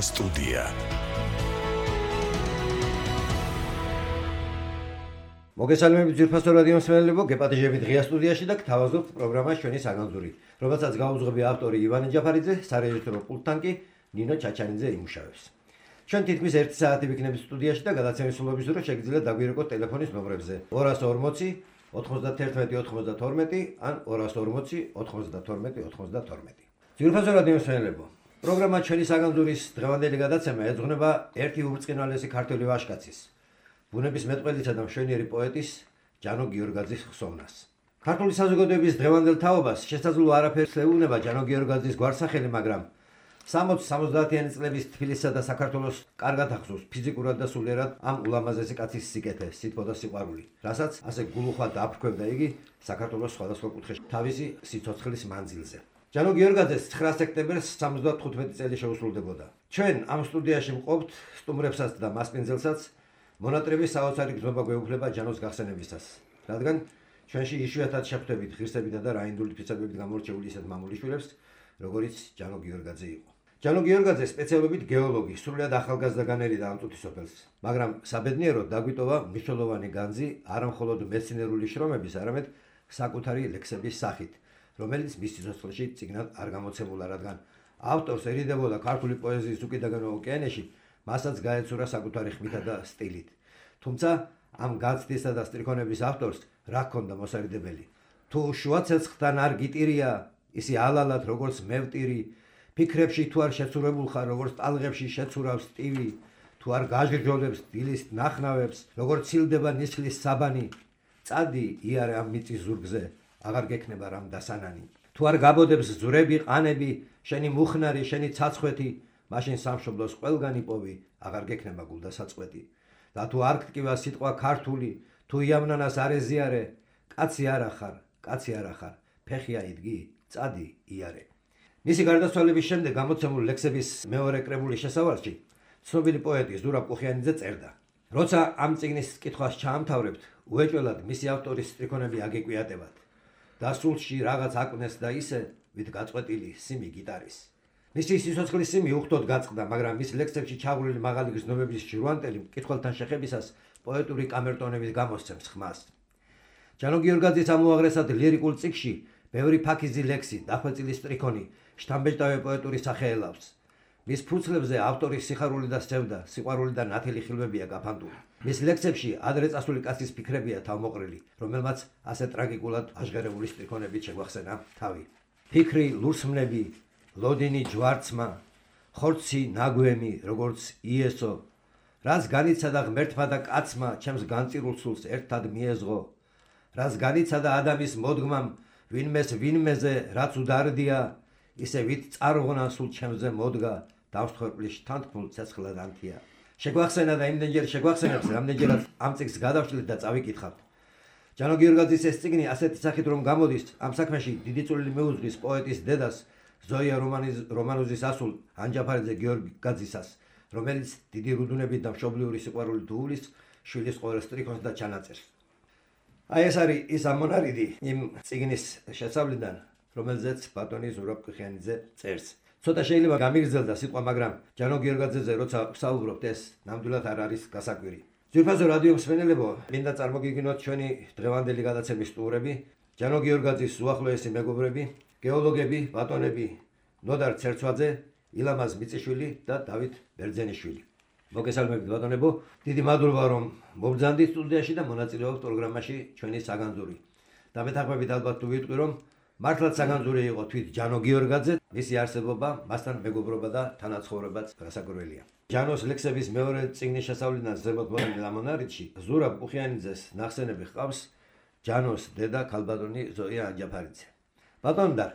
სტუდია. მოგესალმებით ძირფასო რადიო მსმენელებო, გეპატიჟებით ღია სტუდიაში და გთავაზობთ პროგრამას ჩვენი საგანძური, რომელსაც გაუძღვები ავტორი ივანე ჯაფარიძე, სარეჟისორო პულტთან კი ნინო ჩაჩანიძე იმუშავებს. ჩვენ თითქმის 1 საათი ვიქნებით სტუდიაში და გადაცემის სრულობის დროს შეგიძლიათ დაგვირეკოთ ტელეფონის ნომრებზე 240 91 92 ან 240 92 92. ძირფასო რადიო მსმენელებო, პროგრამა ჩვენი საგანძურის დღევანდელი გადაცემა ეძღვნება ერთი უბრწყინვალესი ქართველი ვაჟკაცის, ბუნების მეტყველისა და მშვენიერი პოეტის ჯანო გიორგაძის ხსოვნას. ქართული საზოგადოების დღევანდელ თაობას შესაძლოა არაფერს ეუბნება ჯანო გიორგაძის გვარსახელი, მაგრამ 60-70-იანი წლების თბილისსა და საქართველოს კარგად ახსოვს ფიზიკურად და სულიერად ამ ულამაზესი კაცის სიკეთე, სითბო და სიყვარული, რასაც ასე გულუხვად დააფრქვევდა იგი საქართველოს სხვადასხვა კუთხეში თავისი სიცოცხლის მანძილზე. ჯანო გიორგაძეს 9 სექტემბერს 75 წელი შეუსრულდებოდა. ჩვენ ამ სტუდიაში ვყოფთ სტუმრებსაც და მასპინძელსაც მონატრების საოცარი გრძნობა გვეუფლება ჯანოს გახსენებისას, რადგან ჩვენში იშვიათად შეხვდებით ღირსებითა და რაინდული თვისებებით გამორჩეული ისეთ მამულიშვილებს, როგორიც ჯანო გიორგაძე იყო. ჯანო გიორგაძე სპეციალობით გეოლოგი, სრულიად ახალგაზრდა განერიდა ამ წუთის სოფელს, მაგრამ საბედნიეროდ დაგვიტოვა მნიშვნელოვანი განძი არა მხოლოდ მეცნიერული შრომების, არამედ საკუთარი ლექსების სახით, რომელიც მის სიცოცხლეში წიგნად არ გამოცემულა, რადგან ავტორს ერიდებოდა ქართული პოეზიის უკიდაგანო ოკეანეში, მასაც გაეცურა საკუთარი ხმითა და სტილით. თუმცა ამ გაცდისა და სტრიქონების ავტორს რა ჰქონდა მოსარიდებელი? თუ შუა ცეცხლთან არ გიტირია, ისი ალალად როგორც მე ვტირი, ფიქრებში თუ არ შეცურებულ ხარ, როგორც ტალღებში შეცურავს ტივი, თუ არ გაჟრჯოლებს დილის ნახნავებს, როგორც ცილდება ნისხლის საბანი, წადი იარე ამ მიწის ზურგზე, აღარ გექნება რამ დასანანი. თუ არ გაბოდებს ზურები, ყანები, შენი მუხნარი, შენი ცაცხვეთი, მაშინ სამშობლოს ყველგან იპოვი, აღარ გექნება გულდასაწყვეტი. და თუ არ გტკივა სიტყვა ქართული, თუ იავნანას არ ეზიარე, კაცი არა ხარ, ფეხი აიდგი, წადი იარე. მისი გარდაცვალების შემდეგ გამოცემულ ლექსების მეორე კრებულის შესავალში ცნობილი პოეტი ზურაბ კუხიანიძე წერდა: როცა ამ წიგნის კითხვას ჩაამთავრებთ, უეჭველად მისი ავტორის სტრიქონები აგეკვიატებათ. დასულში რაღაც აკვნეს და ისე, ვით გაწყვეტილი სიმი გიტარის. მისი სიცოცხლის სიმი უხდოდ გაწყდა, მაგრამ მის ლექსებში ჩაღვრილი მაღალი გრძნობების ჟურვანტელი მკითხველთან შეხებისას პოეტური კამერტონებით გამოსცემს ხმას. ჯანო გიორგაძის ამოაღრესად ლირიკულ წიგნში ბევრი ფაქიზი ლექსი, დახვეწილი სტრიქონი, შთამბეჭდავე პოეტური სახე ელავს. მის ფურცლებზე ავტორის სიხარული და სევდა, სიყვარული და ნათელი ხილვებია გაფანტული. მის ლექსებში ადრე წასული კაცის ფიქრებია თავმოყრილი, რომელმაც ასე ტრაგიკულად აღჟღერებული სტრიქონებით შეგვახსენა თავი. ფიქრი, ლურსმნები, ლოდინი ჯვარცმა, ხორცი ნაგვემი, როგორც იესო, რაც განიცადა ღმერთმა და კაცმა, ჩემს განწირულ სულს ერთად მიეზღო, რაც განიცადა ადამიანის მოდგმამ, ვინმეს ვინმეზე, რაც უდარდია, ისე ვით წარღონა სულ ჩემზე მოდგა, დავსხვერპლის თანთქმულ ცეცხლად ანთია. შეგვახსენა და იმდენჯერ შეგვახსენებს, რამდენჯერაც ამ წიგნს გადავშლით და წავიკითხავთ. ჯანო გიორგაძის ეს წიგნი ასეთი სახით რომ გამოდის, ამ საქმეში დიდი წვლილი მიუძღვის პოეტის დედას, ზოია რომანოზის ასულ ანჯაფარიძე გიორგაძისას, რომელიც დიდი რუდუნებით და მშობლიური სიყვარულით უვლის შვილის ყოველ სტრიქონს და ჩანაწერს. აი ეს არის ის ამონარიდი იმ წიგნის შესავლიდან, რომელზეც ბატონი ზურაბ კუხიანიძე წერს. ცოტა შეიძლება გამიგრძელდა სიტყვა, მაგრამ ჯანო გიორგაძეზე როცა ვსაუბრობთ, ეს ნამდვილად არ არის გასაკვირი. ძვირფასო რადიო მსმენელებო, მინდა წარმოგიგინოთ ჩვენი დღევანდელი გადაცემის სტუმრები, ჯანო გიორგაძის უახლოესი მეგობრები, გეოლოგები, ბატონები ნოდარ ცერცვაძე, ილამაზ მიწიშვილი და დავით ბერძენიშვილი. მოგესალმებით ბატონებო, დიდი მადლობა რომ მობრძანდით სტუდიაში და მონაწილეობთ პროგრამაში ჩვენი საგანძური. და მეთანხმებით ალბათ თუ ვიტყვი რომ მართლაც საგანძური იყო თვით ჯანო გიორგაძე, მისი არსებობა, მასთან მეგობრობა და თანაცხოვრებაც გასაკვირველია. ჯანოს ლექსების მეორე წიგნის შესავლიდან ზემოთ მოყოლილ ამონარიდში ზურაბ კუხიანიძეს ნახსენები ჰყავს ჯანოს დედა ქალბატონი ზოია ანჯაფარიძე. ბატონდარ,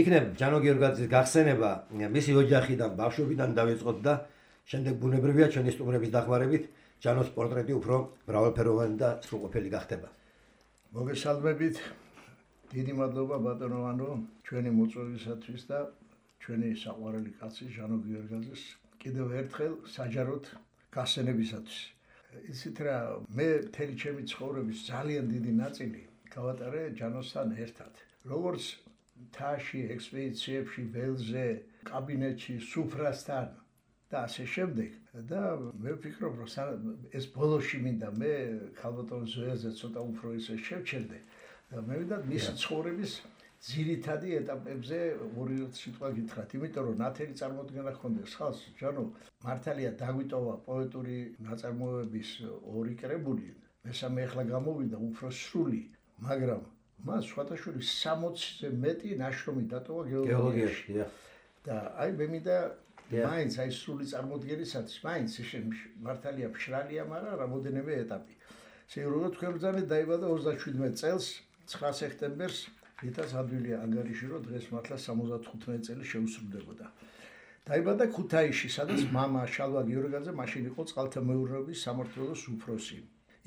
იქნებ ჯანო გიორგაძის გახსენება მისი ოჯახიდან, ბავშვობიდან დავიწყოთ და შემდეგ ბუნებრივია ჩვენი სტუმრების დახმარებით ჯანოს პორტრეტი უფრო მრავალფეროვანი და სრულყოფილი გახდება. მოგესალმებით, დიდი მადლობა ბატონოვანო ჩვენი მოწვევისათვის და ჩვენი საყვარელი კაცი ჯანო გიორგაძის კიდევ ერთხელ საჯაროდ გახსენებისათვის. იცით რა, მე მთელი ჩემი ცხოვრების ძალიან დიდი ნაწილი გავატარე ჯანოსთან ერთად. როგორც მთაში, ექსპედიციებში, ველზე, კაბინეტში, სუფრასთან და ასე შემდეგ. და მე ვფიქრობ, რომ ეს ბოლოში მინდა მე ქალბატონ ზოიაზე ცოტა უფრო ისე შევჩერდე და მე ვიდა მისი ცხოვრების ძირითადი ეტაპებზე ორი სიტყვა გითხრათ, იმიტომ რომ ნათელი წარმოდგენა ჰქონდეს ხალხს, ჯანო, მართალია დაგვიტოვა პოეტური ნაწარმოებების ორი კრებული, მესამე ახლა გამოვიდა უფრო სრული, მაგრამ მას სხვადასხვა 60-ზე მეტი ნაშრომი დატოვა გეოლოგიაში. და აი მე მინდა მაინც აი სრული წარმოდგენისათვის, მაინც მართალია მშრალია, მაგრამ რამოდენიმე ეტაპი. შეიძლება თქვენ ბრძანეთ დაიბადა 37 წელს 9 სექტემბერს რითაც ადვილია ანგარიში, რომ დღეს მართლა 75 წელი შეუსრულდებოდა. დაიბადა ქუთაისში, სადაც მამა შალვა გიორგაძე მაშინ იყო წყალთამეურნეობის სამმართველოს უფროსი.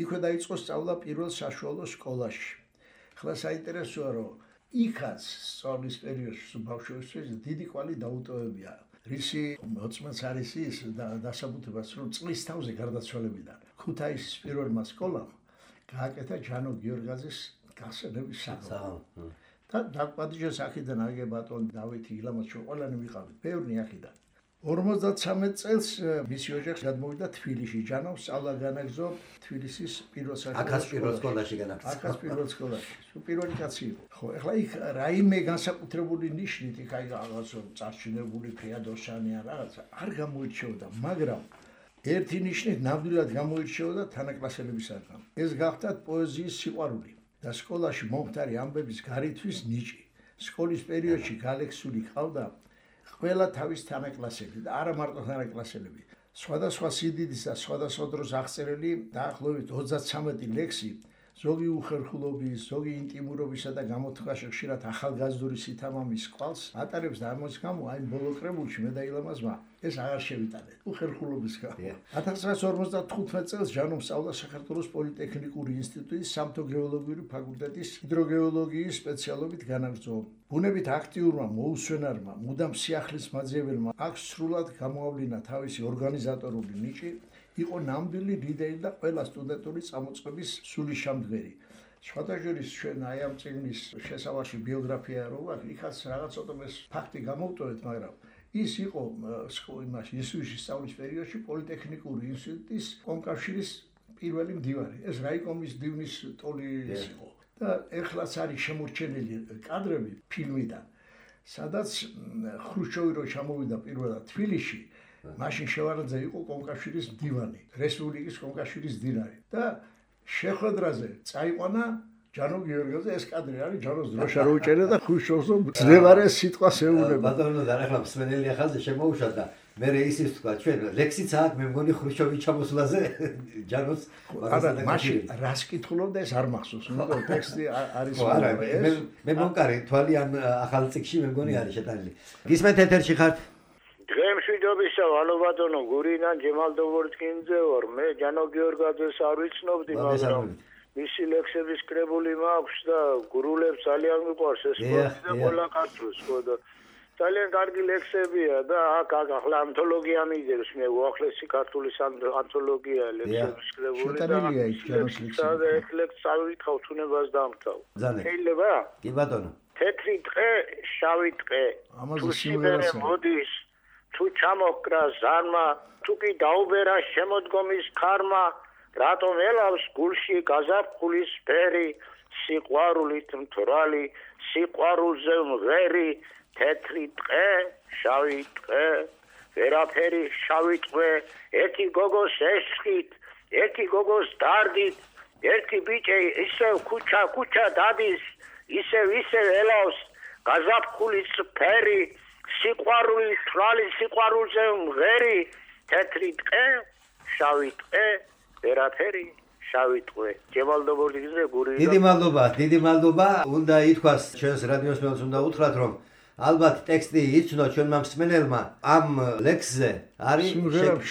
იქვე დაიწყო სწავლა პირველ საშუალო სკოლაში. ახლა საინტერესოა, რომ იქაც სწავლის პერიოდში ბავშვებისთვის დიდი კვალი დაუტოვებია. რისი მოწმეც არის ის დასაბუთებას, რომ წლის თავზე გარდაცვალებიდან ქუთაისის პირველმა სკოლამ გააკეთა ჯანო გიორგაძის გახსენების საღამო. და დაკპატიჟეს აქედან აგე ბატონ დავითი ილამაზ ყველანი ვიყავით ბევრი აქედან 53 წელს მისი ოჯახი გადმოვიდა თბილისში ჯანოს სწავლა განაგრძო თბილისის პირველ სკოლაში აქაც პირველ სკოლაში პირველი კაცი იყო ხო ეხლა იქ რაიმე განსაკუთრებული ნიშნით იქ აი რაღაცა წარჩინებული ფეადოსანი ან რაღაცა არ გამოირჩეოდა მაგრამ ერთი ნიშნით ნამდვილად გამოირჩეოდა თანაკლასელებისაგან ეს გახდათ პოეზიის სიყვარული და სკოლაში მომხდარი ამბების გარითვის ნიჭი. სკოლის პერიოდში გალექსული ყავდა ყველა თავის თანაკლასელი და არა მარტო თანაკლასელები. სხვადასხვა სიდიდის და სხვადასხვა დროს აღწერილი დაახლოებით 33 ლექსი, ზოგი უხერხულობის, ზოგი ინტიმურობისა და გამოთქვაში ხშირად ახალგაზრდული სითამამის კვალს ატარებს და ამის გამო აი ბოლო კრებულში მე და ილამაზმა ეს აღარ შევიტანეთ. უხერხულობის გამო. 1955 წელს ჯანომ სწავლა საქართველოს პოლიტექნიკური ინსტიტუტის სამთო გეოლოგიური ფაკულტეტის ჰიდროგეოლოგიის სპეციალობით განაგრძო. ბუნებით აქტიურმა მოუსვენარმა, მუდამ სიახლის მაძიებელმა აქ სრულად გამოავლინა თავისი ორგანიზატორული ნიჭი, იყო ნამდვილი ლიდერი და ყველა სტუდენტური წამოწყების სულიშამდგერი. სხვადასხვა ჩვენ აი ამ წიგნის შესავარში ბიოგრაფია რო აქვს, იქაც რაღაც ცოტა ფაქტი გამოვტოვეთ, მაგრამ ის იყო იმაში ისუში სწავლის პერიოდში პოლიტექნიკური ინსტიტუტის კომკავშირის პირველი მდივანი. ეს რაიკომის დივნის ტოლი იყო. და ეხლაც არის შემორჩენილი კადრები ფილმიდან, სადაც ხრუშჩოვი რო ჩამოვიდა პირველად თბილისში, მაშინ შევარაძე იყო კომკავშირის მდივანი, რესპუბლიკის კომკავშირის მდივანი და შეხვედრაზე წაიყვანა ჯანო გიორგაძე ეს კადრი არის ჯანოს დროშა რო უჭერდა და ხრუშჩოვს ძნელარე სიტყვას ეუბნება. ბატონო და ახლა მსმენელი ახალზე შემოუშვა და მე ისიც თქვა ჩვენ ლექსიც აქვს მე მგონი ხრუშჩოვის ჩამოსვლაზე ჯანოს მაშინ რას კითხულობდა ეს არ მახსოვს ნუ ტექსტი არის მე მომკარი თვალიან ახალ წიგში მე მგონი არის შეტანილი გისმენთ ეთერში ხართ დღემშვიდობისა ვალობატონო გურიდან ჯემალდოვორკინძე ვარ მე ჯანო გიორგაძეს არ ვიცნობდი მაგრამ მისი ლექსების კრებული მაქვს და გურულებს ძალიან მიყვარს ეს და ყველა ქართულს ხო და ძალიან კარგი ლექსებია და აქ ახლა ანთოლოგია მიდევს მე უახლესი ქართულის ანთოლოგია ლექსების კრებული და ეს ლექსი წავიკავ თუნებას დამთავ შეიძლება კი ბატონო თეთრი ტყე შავი ტყე ამაზე სიმღერა მოდის თუ ჩამოკრა ზარმა თუ კი დაუბერა შემოდგომის ქარმა რატომ ელავს გულში გაზაფხულის ფერი სიყვარულით მთვრალი სიყვარულზე მღერი თეთრი ტყე შავი ტყე ვერაფერი შავი ტყე ერთი გოგოს ესხით ერთი გოგოს დარდით ერთი ბიჭი ისევ ქუჩა დადის ისევ ელავს გაზაფხულის ფერი სიყვარულის თვალი სიყვარულზე მღერი თეთრი ტყე შავი ტყე ვერაფერი შავი ტყე ჯემალდოვორკინძე გური დიდი მადლობა უნდა ითქვას ჩვენს რადიოს მელს უნდა უთხრათ რომ ალბათ ტექსტი იცნო ჩვენმა მსმენელმა ამ ლექსზე არის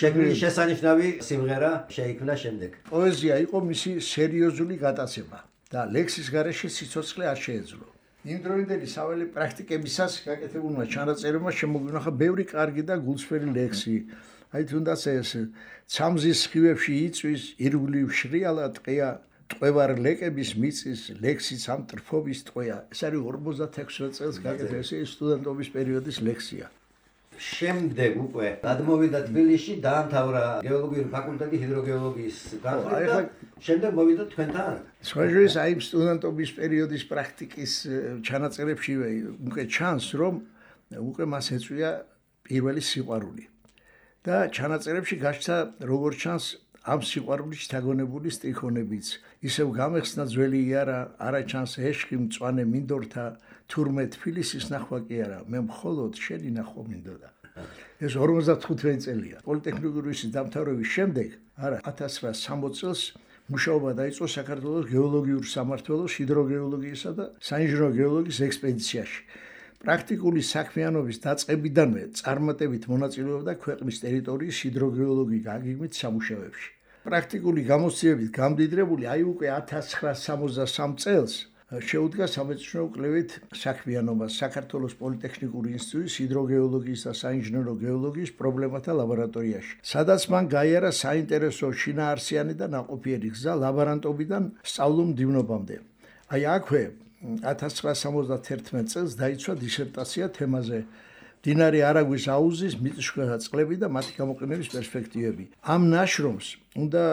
შექმნილი შესანიშნავი სიმღერა შეიქმნა შემდეგ პოეზია იყო მისი სერიოზული გატაცება და ლექსის გარეშე სიცოცხლე არ შეეძლო იმ დროინდელი საველე პრაქტიკებისას გაკეთებულმა ჩანაწერებმა შემოგვინახა ბევრი კარგი და გულსფერი ლექსი აი თუნდაც ეს ცამზის სხივებში იწვის ირგვლივ შრიალა ტყეა ტყვევარ ლეკების მიწის ლექსიც ამ ტრფობის ტყვეა ეს არის 56 წელს გაკეთებული ეს სტუდენტობის პერიოდის ლექსია შემდეგ უკვე გადმოვიდა თბილისში, დაამთავრა გეოლოგიური ფაკულტეტი ჰიდროგეოლოგიის განხრით და შემდეგ მოვიდა თქვენთან. სხვაჟის აი სტუდენტობის პერიოდის პრაქტიკის ჩანაწერებში უკვე ჩანს, რომ უკვე მას ეწვია პირველი სიყვარული. და ჩანაწერებში გაჩნდა როგორც ჩანს ამ სიყვარულის შთაგონებული სტრიქონებიც. ისევ გამეხსნა ძველი იარა, არა ჩანს ეშხი მწვანე მინდორთა, თურმე თბილისის ნახვა კი არა, მე მხოლოდ შენი ნახვა მინდოდა. ეს 55 წელია. პოლიტექნიკური დამთავრების შემდეგ, არა 1960 წელს მუშაობა დაიწყო საქართველოს გეოლოგიურ სამმართველოს ჰიდროგეოლოგიისა და საინჟინრო გეოლოგიის ექსპედიციაში. პრაქტიკული საქმიანობის დაწყებიდანვე წარმატებით მონაწილეობდა ქვეყნის ტერიტორიის ჰიდროგეოლოგიის გაგიგმით სამუშაოებში. პრაქტიკული გამოცდილებით გამდიდრებული აი უკვე 1963 წელს შეუდგა სამეცნიერო კვლევით საქმიანობას საქართველოს პოლიტექნიკური ინსტიტუტის ჰიდროგეოლოგიის და საინჟინრო გეოლოგიის პრობლემათა ლაბორატორიაში, სადაც მან გაიარა საინტერესო შინაარსიანი და ნაყოფიერი გზა ლაბორანტობიდან სწავლულ მდივნობამდე. აი აქვე 1971 წელს დაიცვა დისერტაცია თემაზე მდინარე არაგვის აუზის მიწისქვეშა წყლები და მათი გამოყენების პერსპექტივები. ამ ნაშრომს უნდა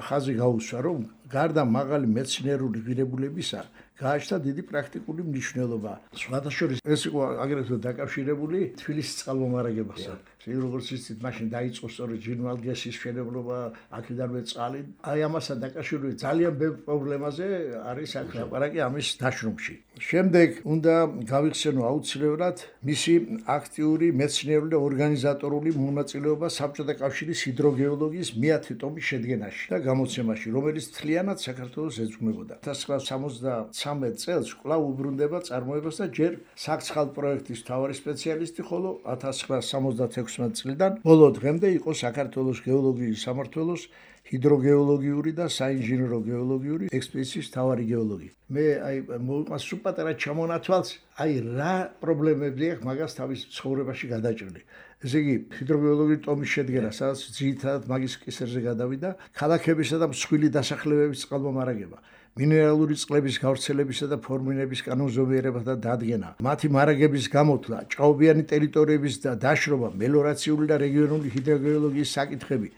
ხაზი გაუსვა, რომ გარდა მაღალი მეცნიერული ღირებულებისა, გააჩნდა დიდი პრაქტიკული მნიშვნელობა. სხვადასხვა ეს იყო აგრეთვე დაკავშირებული თბილისის წყალმომარაგებასთან. როგორც იცით, მაშინ დაიწყო სწორედ ჟინვალგესის მშენებლობა, აქედანვე წყალი. აი ამასთან დაკავშირებული ძალიან ბევრ პრობლემაზე არის აქ ლაპარაკი ამის ნაშრომში. შემდეგ უნდა გავიხსენო აუცილებლად მისი აქტიური მეცნიერული და ორგანიზატორული მონაწილეობა საბჭოთა კავშირის ჰიდროგეოლოგიის მეათე ტომის შედგენაში და გამოცემაში, რომელიც მთლიანად საქართველოს ეძღვნებოდა. 1973 წელს კვლავ უბრუნდება წარმოებას და ჯერ საქსხალ პროექტის მთავარი სპეციალისტი, ხოლო 1976 წლიდან ბოლო დღემდე იყო საქართველოს გეოლოგიის სამმართველოს ჰიდროგეოლოგიური და საინჟინრო გეოლოგიური ექსპედიციის მთავარი გეოლოგი. მე აი მოვიყვანს სულ პატარა ჩამონათვალს, აი რა პრობლემები აქვს მაგას თავის ცხოვრებაში გადაჭრილი. ესე იგი, ჰიდროგეოლოგიური ტომის შედგენა, სადაც ძირითადად მაგის კისერზე გადავიდა, ქალაქებისა და მსხვილი დასახლებების წყალმომარაგება, მინერალური წყლების გავრცელებისა და ფორმირების კანონზომიერებათა დადგენა, მათი მარაგების გამოთვლა, ჭაობიანი ტერიტორიების დაშრობა, მელიორაციული და რეგიონული ჰიდროგეოლოგიის საკითხები,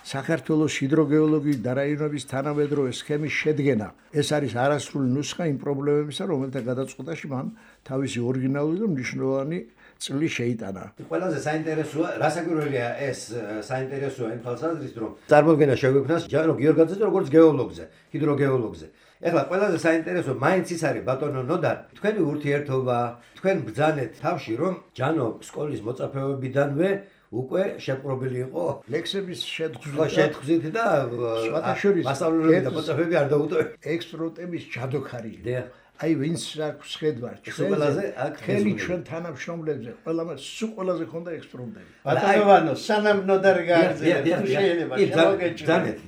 საქართველოს ჰიდროგეოლოგიის და რაიონების თანამედროვე სქემის შედგენა. ეს არის არასრული ნუსხა იმ პრობლემებისა, რომელთა გადაწყვეტაში მან თავისი ორიგინალური და მნიშვნელოვანი წვლილი შეიტანა. ყველაზე საინტერესოა, რასაკვირველია ეს საინტერესოა იმ თვალსაზრისით, რომ წარმოქმნა შეგვექმნას ჯანო გიორგაძეზე როგორც გეოლოგზე, ჰიდროგეოლოგზე. ეხლა ყველაზე საინტერესო მაინც ის არის ბატონო ნოდარ, თქვენი ურთიერთობა, თქვენ ბრძანეთ თავში, რომ ჯანო სკოლის მოწაფეობიდანვე უკვე შეპყრობილი იყო ლექსების შეთხზვით და მასწავლებლები და მოწაფეები არ დაუტოვებია. ექსპერტების ჯადოქარია. დიახ. აი ვინც აქვს ხედვარ ჩვენი ჩვენ თანამშრომლებზე ყველაზე ხონდა ექსპერტები. ბატონო სანამ ნოდარი გააგზავნა შეიძლება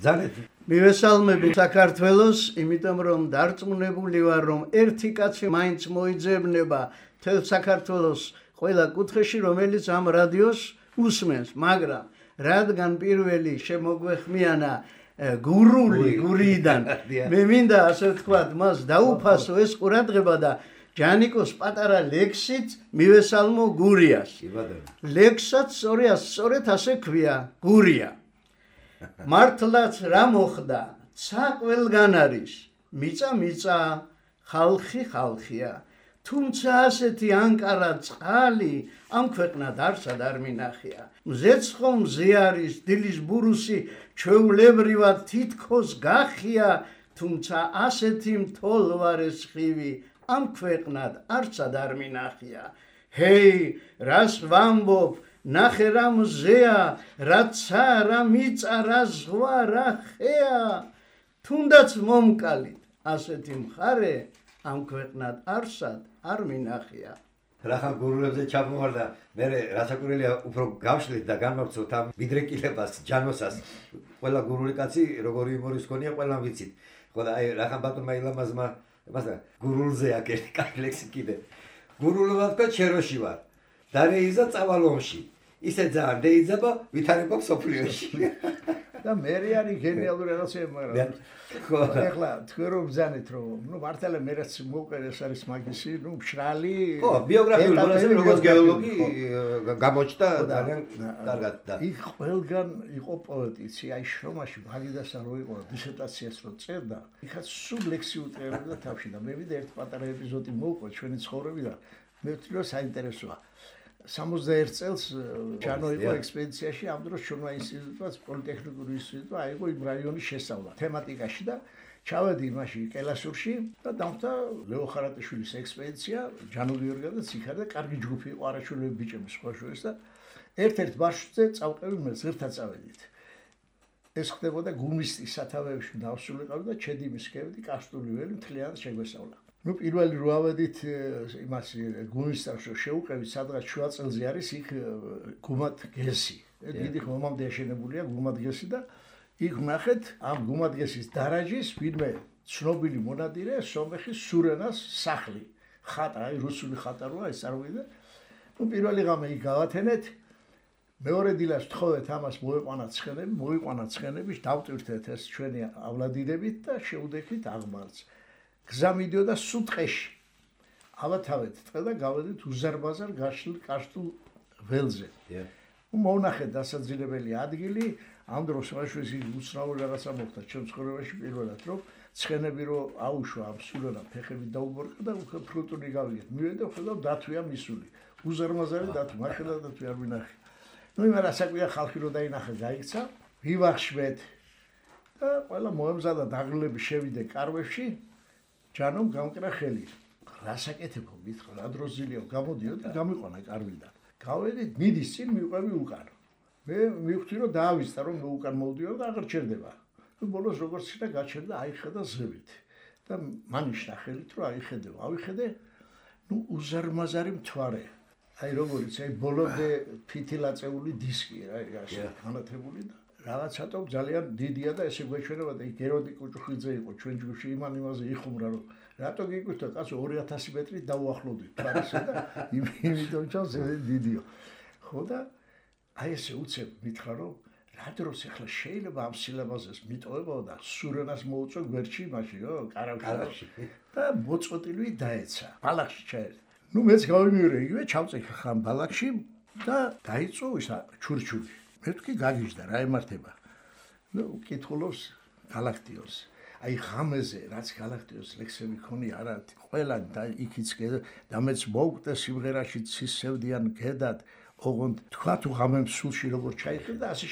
ძალიან მივესალმები საქართველოს, იმიტომ რომ დარწმუნებული ვარ, რომ ერთი კაცი მაინც მოიძებნება თელ საქართველოს ყველა კუთხეში, რომელიც ამ რადიოს უსმენს, მაგრამ რადგან პირველი შემოგვეხმიანა გურიდან მე მინდა ასე ვთქვათ, მას დაუფასო ეს ყურადღება და ჯანიკოს პატარა ლექსით მივესალმო გურიას. ლექსსაც სწორედ ასე ქვია, გურია. მართლაც რა მოხდა, ცა ყველგან არის, მიწა, ხალხი ხალხია. თუმცა ასეთი ანკარა წყალი ამ ქვეყნად არსად არ მინახია. მზეც ხომ მზე არის, დილის ბურუსი ჩვეულებრივად თითქოს გახია, თუმცა ასეთი მთოლვარეს ხივი ამ ქვეყნად არსად არ მინახია. ჰეი, რას ვამბობ, ნახე რა მზეა, რა ცა, რა მიწა, რა ზღვა, რა ხეა. თუნდაც მომკალით, ასეთი მხარე ამ ქვეყნად არსად არ მინახია. რახან გურულებზე ჩამოვარდა, მე რასაკვირველია უფრო გავშლით და განვავრცოთ ამ მიდრეკილებას, ჯანოსას. ყველა გურული კაცი როგორი იმორის ქონია, ყველამ ვიცით. ხო და აი რახან ბატონმა ილამაზმა, მასა გურულზე აქ ერთი კაი ლექსი კიდე. გურულობა თქვა ჩეროში ვარ. და რეიზა წავალ ომში. ისე ძალიან დეიძაბა ვითარება სოფლიოში. და მე არის გენიალური რაღაცები, მაგრამ ეხლა თქვენ რომ ბრძანეთ რომ მართლა მე რაც მოვყერეს არის მაგისი, მშრალი. ხო, ბიოგრაფიული მონაცემი როგორც გეოლოგი გამოჩნდა ძალიან კარგად და იქ ყველგან იყო პოეტიცი, აი შრომაში მაგიდასა რო იყო დისერტაციას რო წერდა, იქაც სულ ლექსიურ წერობდა თავში და მე ვიდე ერთ პატარა ეპიზოდი მოვყვა ჩვენი ცხოვრებიდან. მე ვთვლი რომ საინტერესოა. 61 წელს ჯანო იყო ექსპედიციაში, ამ დროს შრომა ინსტიტუტმა, პოლიტექნიკური ინსტიტუტმა აიღო იმ რაიონის შესწავლა თემატიკაში და ჩავედი იმაში კელასურში და დამხდა ლეო ხარატიშვილის ექსპედიცია, ჯანო გიორგაძეც იქ და კარგი ჯგუფი იყო არაჩვენები ბიჭები სხვა შორის და ერთ-ერთ მარშრუტზე წავყევი მე ზერთად წავედით. ეს ხდებოდა გუმისტის სათავეებში დავსულიყავი და ჩედიმის ქევდი კასტული ველი მთლიანად შეგვესწავლა. პირველი რო ავედით იმას გუმისტას შევუყევით სადღაც შუა წელზე არის იქ გუმადგესი. დიდი ხომამდე აშენებულია გუმადგესი და იქ ნახეთ ამ გუმადგესის დარაჯის ვინმე ცნობილი მონადირე სომეხის სურენას სახლი. ხატა, აი რუსული ხატა როა ეს წარვიდა. პირველი ღამე იქ გავათენეთ. მეორე დილას ვთხოვეთ ამას მოიყვანა ცხენები, დავტვირთეთ ეს ჩვენი ავლადინებით და შევდექით აღმართს. გზა მიდიოდა სუტყეში. ავათავეთ ტყე და გავედით უზარმაზარ გაშლილ კაშტულ ველზე. მოვნახეთ დასაძინებელი ადგილი, ამ დროს მაშინ უცნაური რაღაცა მოხდა ჩემ ცხოვრებაში პირველად, რომ ცხენები რო აუშვა ამ სულენა ფეხებით დაუბორკა და უკვე ფრუტული გავიგეთ. მივედე ხედავ დათვია მისული. უზარმაზარი დათვი, მაშინა დათვი არ ვინახე. იმან ასაკვია ხალხი რო დაინახა, გაიქცა, ვივახშვეთ. და ყველა მოემზადა დაღლილები შევიდე კარვებში. ჯანომ გამკრა ხელი. რასაკეთებო მითხრა, რა დროს ზილიო გამოდიო და გამიყვანა კარვიდან. გავედით მიდის წინ მივყვევი უკან. მე მივხვდი რომ დაავიწყდა რომ მე უკან მოვდიო და აღარ ჩერდება. ბოლოს როგორც შეიძლება გაჩერდა აიხედა ზევით. და მანიშნა ხელით რომ აიხედეო. ავიხედე, უზარმაზარი მთვარე. აი როგორიც აი ბოლომდე ფითილაწეული დისკი რა ასე განათებული და რაღაცატო ძალიან დიდია და ესე გვეჩვენება და იქ ეროდი კუჭუხიძე იყო ჩვენ ჯგუფში იმაზე იხუმრა რომ რატო გიგვითა კაცო 2000 მეტრი დაუახლოვდით თვარისა და იმიტომ ჩავს დიდიო ხო და აი ესე უცებ მითხრა რომ რა დროს ახლა შეიძლება ამ სილამაზეს მიტოვებო და სურენას მოუწო გვერდში მაშინ რო კარავში და მოწყვეტილი დაეცა ბალახში ჩაერდა ნუ მეც გავიმეორე იგივე ჩავწეხა ხან ბალახში და დაიწო ისა ჩურჩური მე თქვი გაგიჟდა რა ემართება ნუ კითხულობს გალაქტიოს აი ღამეზე რაც გალაქტიოს ლექსები ქონია არა ყველა და იქიც და მეც მოვკვდე სიმღერაში ცისევდიან გედად ოღონდ თქვა თუ ღამემ სულში როგორ ჩაიხილ და ასე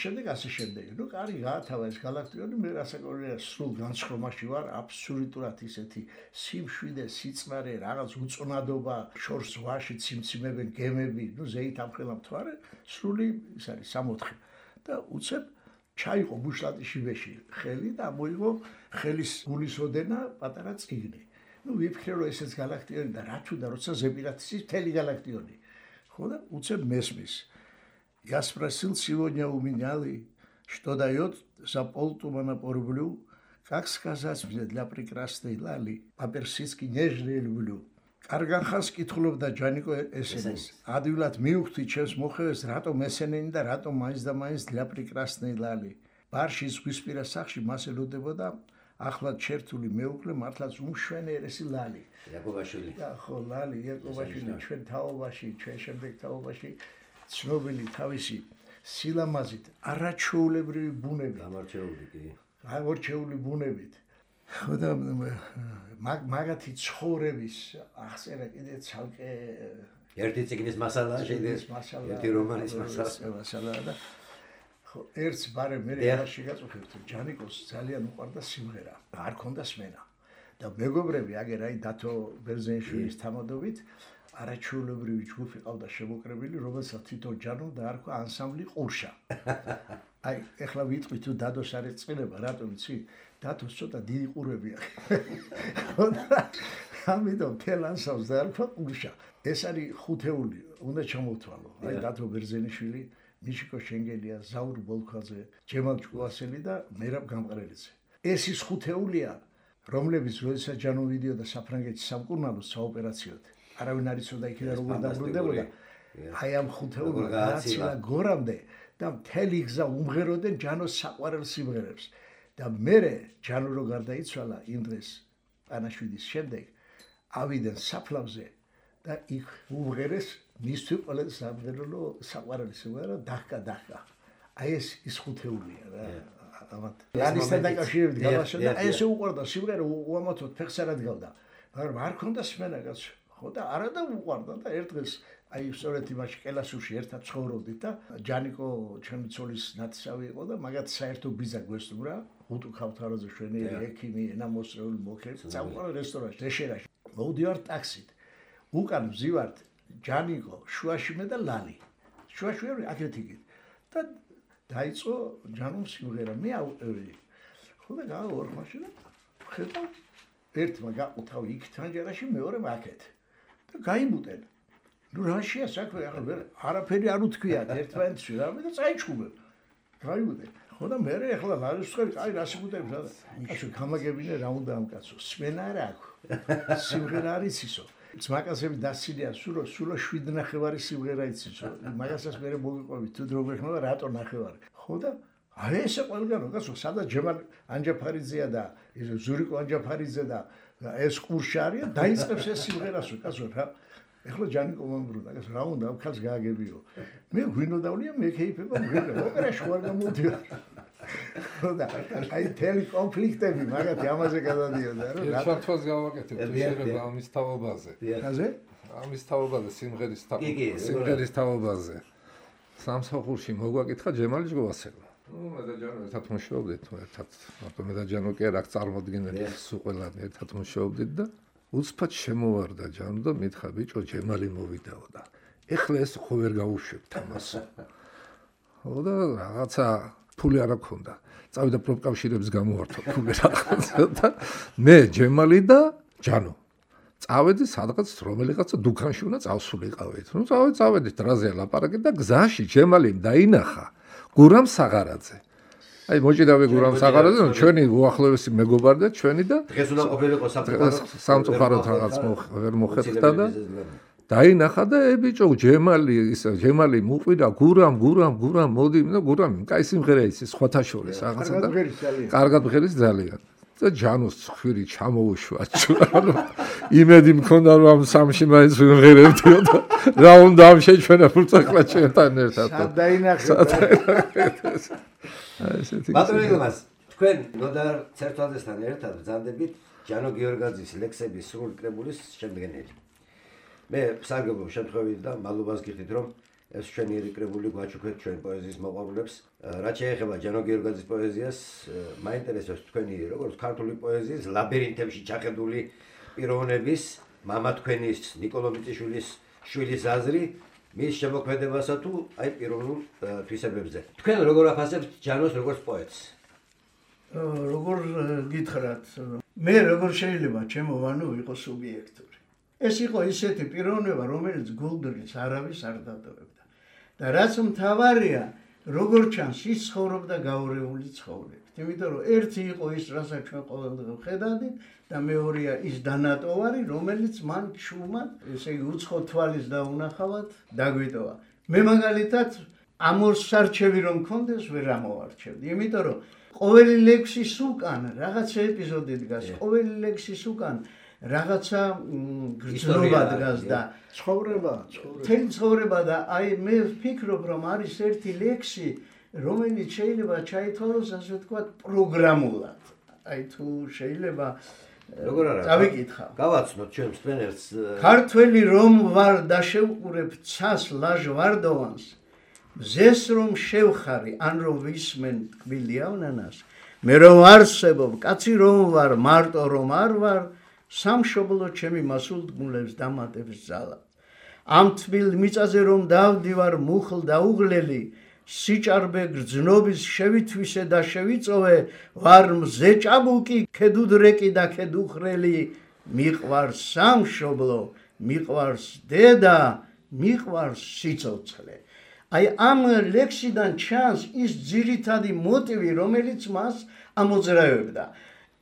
შემდეგ ნუ კარი გაათავა ეს გალაქტიონი მე რასაკვირველია სულ განსხვავებაში ვარ აბსოლუტურად ისეთი სიმშვიდე სიწყნარე რაღაც უწონადობა შორს ვაში ციმციმებენ გემები ნუ ზეით ამხელა მთვარე სრული ის არის 64 და უცებ ჩაიყო ბუშლატიში ვეში ხელი და მოიღო ხელის გულისოდენა პატარა წიგნი ნუ ვიფიქრე რომ ესეც გალაქტიონი და რა თუ და როცა ზეპირათის მთელი галактиони ხო და უცებ მესმის я спросил сегодня у меняли что дает за полтумана порублю как сказать мне для прекрасной лали по-персидски нежно люблю კარგანხას კითხულობდა ჯანიკო ესენს ადვილად მივხვდი ჩემს მოხევეს რატომ ესენენი და რატომ მაინც და მაინც для прекрасной лали ბარში ზღვისპირა სახში მას ელოდებოდა ახლად ჩერთული მეუღლე მართლაც უმშვენიერესი ლალი იაკობაშვილი ხო ლალი იაკობაშვილი ჩვენ თაობაში ჩვენ შემდეგ თაობაში ცნობილი თავისი სილამაზით არაჩვეულებრივი ბუნებით გამორჩეული ბუნებით ხო და მაგათი ცხოვრების აღწერა კიდე ცალკე ერთი წიგნის მასალა შეიძლება ერთი რომანის მასალა და ხო ერთს ბარე მე რაში გაწუხებთ ჯანიკოს ძალიან უყვარდა სიმღერა არ ქონდა სმენა და მეგობრები აგერ აი დათო ბერძენიშვილის თამადობით არაჩვეულებრივი ჯგუფი ყავდა შემოკრებილი რომელსაც თვითონ ჯანო დაარქვა ანსამბლი ყურშა აი ეხლა ვიტყვი თუ დადოს არ ეწყინება რატომ იცი დათოს ცოტა დიდი ყურები აქვს ამიტომ თელ ანსამბლს დაარქვა ყურშა ეს არის ხუთეული უნდა ჩამოვთვალო აი დათო ბერძენიშვილი მიშიკო შენგელია ზაურ ბოლქვაძე ჯემალ ჭკუასელი და მერაბ გამყრელიძე ეს ის ხუთეულია რომლებიც როდესაც ჯანო ვიდეო და საფრანგეთის სამკურნალოს საოპერაციოდ არავინ არ იცოდა იქიდან როგორ დაბრუნდებოდა აი ამ ხუთეულმა გააცილა გორამდე და მთელი გზა უმღეროდნენ ჯანოს საყვარელ სიმღერებს და მერე ჯანო რო გარდაიცვალა იმ დღეს პანაშვიდის შემდეგ ავიდნენ საფლავზე და იქ უმღერეს მისთვის ყველა სამღერო საყვარელი სიმღერა დაჰკა აი ეს ხუთეულია რა ამათ ლანისთან დაკავშირებით გამაშოდა აი ესე უყვარდა სიმღერა უამათოდ ფეხს არ ადგავდა მაგრამ არ ქონდა სმენა კაცო ხო და არა და უყვარდა და ერთ დღეს აი სწორედ იმაში კელასურში ერთად ცხოვრობდით და ჯანიკო ჩემი ცოლის ნათესავი იყო და მაგათ საერთო ბიზა გვესტუმრა ხუთუ ქავთარაძე შვენიერი ექიმი ენამოსრეული მოქერთ წავყავ რესტორანში დეშერაში მოვდივართ ტაქსით უკან ვზივართ ჯანიკო შუაში მე და ლალი შუაში აქეთ იქით და დაიწყო ჯანოს სიმღერა მე ავყევი ხო და გავარ მაშინა ხედავ ერთმა გაყუთავი იქ თანჯერაში მეორემ აქეთ და გაიმუტენ ნუ რაშია საქმე ახლა არაფერი არ უთქვიათ ერთმანეთში რამე და წაიჩხუბე გაიმუტენ ხო და მე ახლა ლარისხელი აი რა სიგუტებს რა კაცო გამაგებინე რა უნდა ამ კაცო სმენა არ აქვს სიმღერა არის ისო ძმაკაცები დასილია სულო 7:30 სიმღერა იცისო მაგასაც მე მოგიყვებით თუ დრო გეხმება რატო ნახევარი ხო და აი ესე ყველგანო კაცო სადაც ჯემალ ანჯაფარიძეა და ზურიკო ანჯაფარიძე და ეს ყურში არის დაიწყებს ეს სიმღერასო კაცო რა ეხლა ჯანიკო მომბრუნა კაცო რა უნდა ამ ქალს გააგებიო მე გვინო დავლია მე ქეიფება მგრელა ოპერაში ვარ გამოდივარ ხო და აი თელი კონფლიქტები მაგათი ამაზე გადადიოდა რა შარტვას გავაკეთებ შეიძლება ამის თაობაზე ხაზე ამის თაობაზე სიმღერის თაობაზე სამსახურში მოგვაკითხა ჯემალი ჯგოვასელა მე და ჯანო ერთად მუშაობდით ერთად მე და ჯანო კი არ აქ წარმოდგენელი სულ ყველა ერთად მუშაობდით და უცბად შემოვარდა ჯანო და მითხრა ბიჭო ჯემალი მოვიდაო და ეხლა ეს ხო ვერ გავუშვებ თამას ხო და რაღაცა ფული არ აქვს და წავიდა პროფკავშირებს გამოვართო ფული რაღაცა და მე ჯემალი და ჯანო წავედი სადღაც რომელიღაცა დუქანში უნდა წავსულიყავით ნუ წავედით დრაზე ლაპარაკი და გზაში ჯემალიმ დაინახა გურამ საღარაძე აი მოჭიდავე გურამ საღარაძე ჩვენი უახლოესი მეგობარი და ჩვენი და დღეს უნდა ყოფილიყო სამწუხაროდ რაღაც ვერ მოხერხდა და დაინახა და ბიჭო ჯემალი მუყვირა გურამ მოდი და გურამ კაი სიმღერა იცის სხვათა შორის რაღაცა და კარგად ბღერის ძალიან და ჯანოს ხვირი ჩამოუშვა ანუ იმედი მქონდა რომ ამ სამში მაინც ვიმღერებდიო და რა უნდა ამ შეჩვენებულ წახლა ჩვენთან ერთად დაინახეთ ბატონიგმას თქვენ ნოდარ ცერტვალდესთან ერთად ბრძანდებით ჯანო გიორგაძის ლექსების სრული კრებულის შემდგენელი მე სარგებლობ შემთხვევით და მადლობას გიხდით რომ ეს ჩვენი კრებული გვაჩუქეთ ჩვენ პოეზიის მოყვარულებს რაც შეეხება ჯანო გიორგაძის პოეზიას მაინტერესებს თქვენი როგორც ქართული პოეზიის ლაბირინთებში ჩახედული პიროვნების მამა თქვენის ნიკოლო მიწიშვილის შვილის აზრი მის შემოქმედებასა თუ აი პიროვნულ თვისებებზე თქვენ როგორ აფასებთ ჯანოს როგორც პოეტს როგორ გითხრათ მე როგორ შეიძლება ჩემო ვანო იყო სუბიექტური ეს იყო ისეთი პიროვნება რომელიც გულდრის არავის არ დადოებდა და რაც მთავარია როგორ ჩანს ის ცხოვრობდა გაურეული ცხოვრებით იმიტომ რომ ერთი იყო ის რასაც ჩვენ ყოველდღე ვხედავდით და მეორეა ის დანატოვარი რომელიც მან ჩუმად ესე იგი უცხო თვალის დაუნახავად დაგვიტოვა მე მაგალითად ამორსარჩევი რომ მქონდეს ვერ ამოვარჩევდი იმიტომ რომ ყოველი ლექსის უკან რაღაცა ეპიზოდი დგას ყოველი ლექსის უკან რაღაცა გრძნობა დგას და ცხოვრება და აი მე ვფიქრობ რომ არის ერთი ლექსი რომელიც შეიძლება ჩაითვალოს ასე ვთქვათ პროგრამულად აი თუ შეიძლება როგორ არა დავიკითხავ გავაცნოთ ჩვენ მსმენელს ქართველი რომ ვარ და შევყურებ ცას ლაჟვარდოვანს მზეს რომ შევხარი ან რომ ვისმენ ტკბილი ავნანას მე რომ არსებობ კაცი რომ ვარ მარტო რომ არ ვარ სამშობლო ჩემი მასულდგმულებს დამატებს ძალა ამ თბილ მიწაზე რომ დავდივარ მუხლ და უღლელი სიჭარბე გრძნობის შევითვისე და შევიწოვე ვარ მზე ჭაბუკი ქედუდრეკი და ქედუხრელი მიყვარს სამშობლო მიყვარს დედა მიყვარს სიცოცხლე აი ამ ლექსიდან ჩანს ის ძირითადი მოტივი რომელიც მას ამოძრავებდა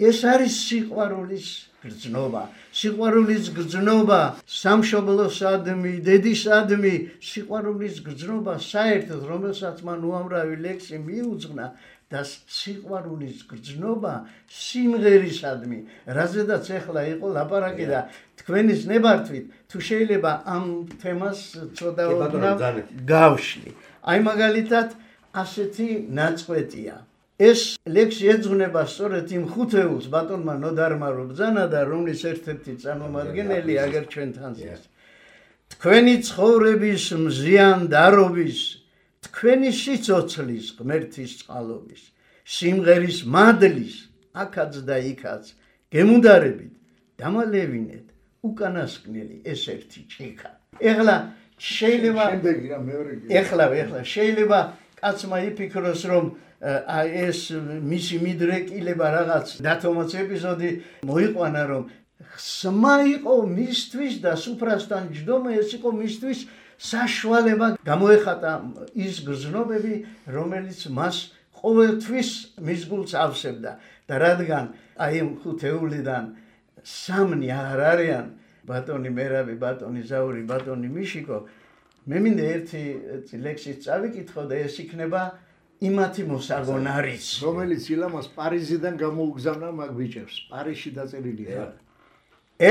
ეს არის სიყვარულის გრძნობა. სიყვარულის გრძნობა სამშობლოსადმი, დედისადმი, სიყვარულის გრძნობა საერთოდ, რომელსაც მან უამრავი ლექსი მიუძღვნა და სიყვარულის გრძნობა სიმღერისადმი, რაზედაც ახლა იყო ლაპარაკი და თქვენის ნებართვით თუ შეიძლება ამ თემას ცოტა გავშლი. აი მაგალითად ასეთი ნაწყვეტია. ეს ლექსი ეძღვნება სწორედ იმ ხუთეულს ბატონმა ნოდარმა რო ბრძანა და რომლის ერთ-ერთი წარმომადგენელი აგერ ჩვენთან ზის. თქვენი ცხოვრების მზიანდარობის, თქვენი სიცოცხლის ღმერთის წყალობის, სიმღერის მადლის, აქაც და იქაც გემუდარებით, დამალევინეთ უკანასკნელი ეს ერთი ჭიქა. ეხლა შეიძლება შეიძლება კაცმა იფიქროს რომ ეს მისი მიდრეკილება რაღაც დათომაც ეპიზოდი მოიყვანა რომ ხსმა იყო მისთვის და სუფრასთან ჯდომა ეს იყო მისთვის საშუალება გამოეხატა ის გრძნობები რომელიც მას ყოველთვის მის გულს ავსებდა და რადგან აი ამ ხუთეულიდან სამნი აღარ არიან ბატონი მერაბი, ბატონი ზაური, ბატონი მიშიკო მე მინდა ერთი ლექსით წავიკითხო და ეს იქნება იმათი მოსაგონარიც რომელიც ილამას პარიზიდან გამოუგზავნა მაგ ბიჭებს პარიზში დაწერილია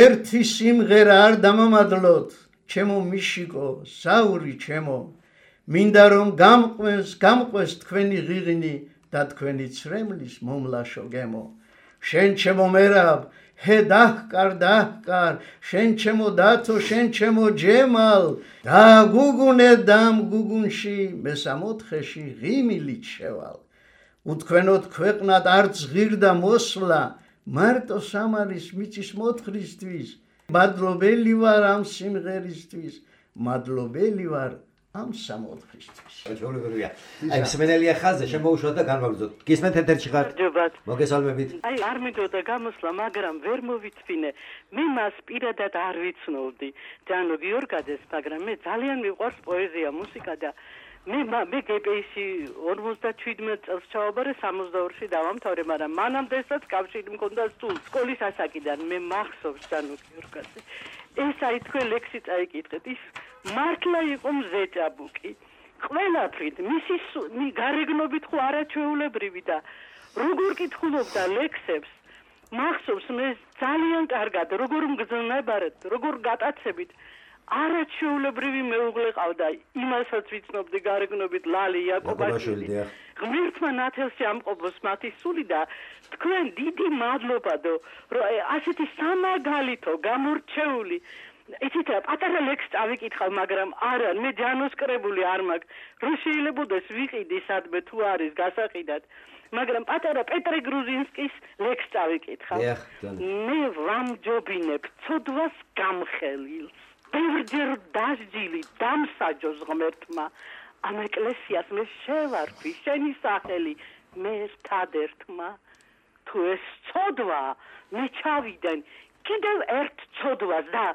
ერთი სიმღერა არ დამამადლოთ ჩემო მიშიკო ზაური ჩემო მინდა რომ გამყვეს თქვენი ღიღინი და თქვენი ცრემლის მომლაშო გემო შენ ჩემო მერაბ ჰე დაჰკარ შენ ჩემო დათო შენ ჩემო ჯემალ და გუგუნე დამ გუგუნში მესამოთხეში ღიმილით შევალ უთქვენოთ ქვეყნად არც ღირდა მოსვლა მარტო სამარის მიწის მოთხრისთვის მადლობელი ვარ ამ სიმღერისთვის მადლობელი ვარ ამ სამოთხისთვის ჩვეულებრივია აი მსმენელია ხაზზე შემოუშვათ და განვაგრძოთ გისმენთ ეთერში ხარ მოგესალმებით აი არ მინდოდა გამოსვლა მაგრამ ვერ მოვიცვინე მე მას პირადად არ ვიცნობდი ჯანო გიორგაძეს მაგრამ მე ძალიან მიყვარს პოეზია მუსიკა და მე გპ-ში 57 წელს ჩავაბარე 62-ში დავამთავრე მაგრამ მანამდესაც კავშირი მქონდა სკოლის ასაკიდან მე მახსოვს ჯანო გიორგაძე ეს აი თქვენ ლექსი წაიკითხეთ ის მართლა იყო მზეჭაბუკი ყველაფრით მისი გარეგნობით ხო არაჩვეულებრივი და როგორ კითხულობდა ლექსებს მახსოვს მე ძალიან კარგად როგორ მგზნებარეთ როგორ გატაცებით არაჩვეულებრივი მეუღლე ყავდა იმასაც ვიცნობდი გარეგნობით ლალი იაკობაშვილი ღმერთმა ნათელში ამყობოს მათი სული და თქვენ დიდი მადლობადო რომ ასეთი სამაგალითო გამორჩეული იცით რა პატარა ლექსი წავიკითხავ მაგრამ არა მე ჯანოს კრებული არ მაგ რომ შეიძლებაოდეს ვიყიდი სადმე თუ არის გასაყიდად მაგრამ პატარა პეტრე გრუზინსკის ლექსი წავიკითხავ მე ვამჯობინებ ცოდვას გამხელილს ბევრჯერ დასჯილი დამსაჯოს ღმერთმა ამ ეკლესიას მე შევარქვი შენი სახელი მე ერთადერთმა თუ ეს ცოდვა მე ჩავიდენ კიდევ ერთ ცოდვას და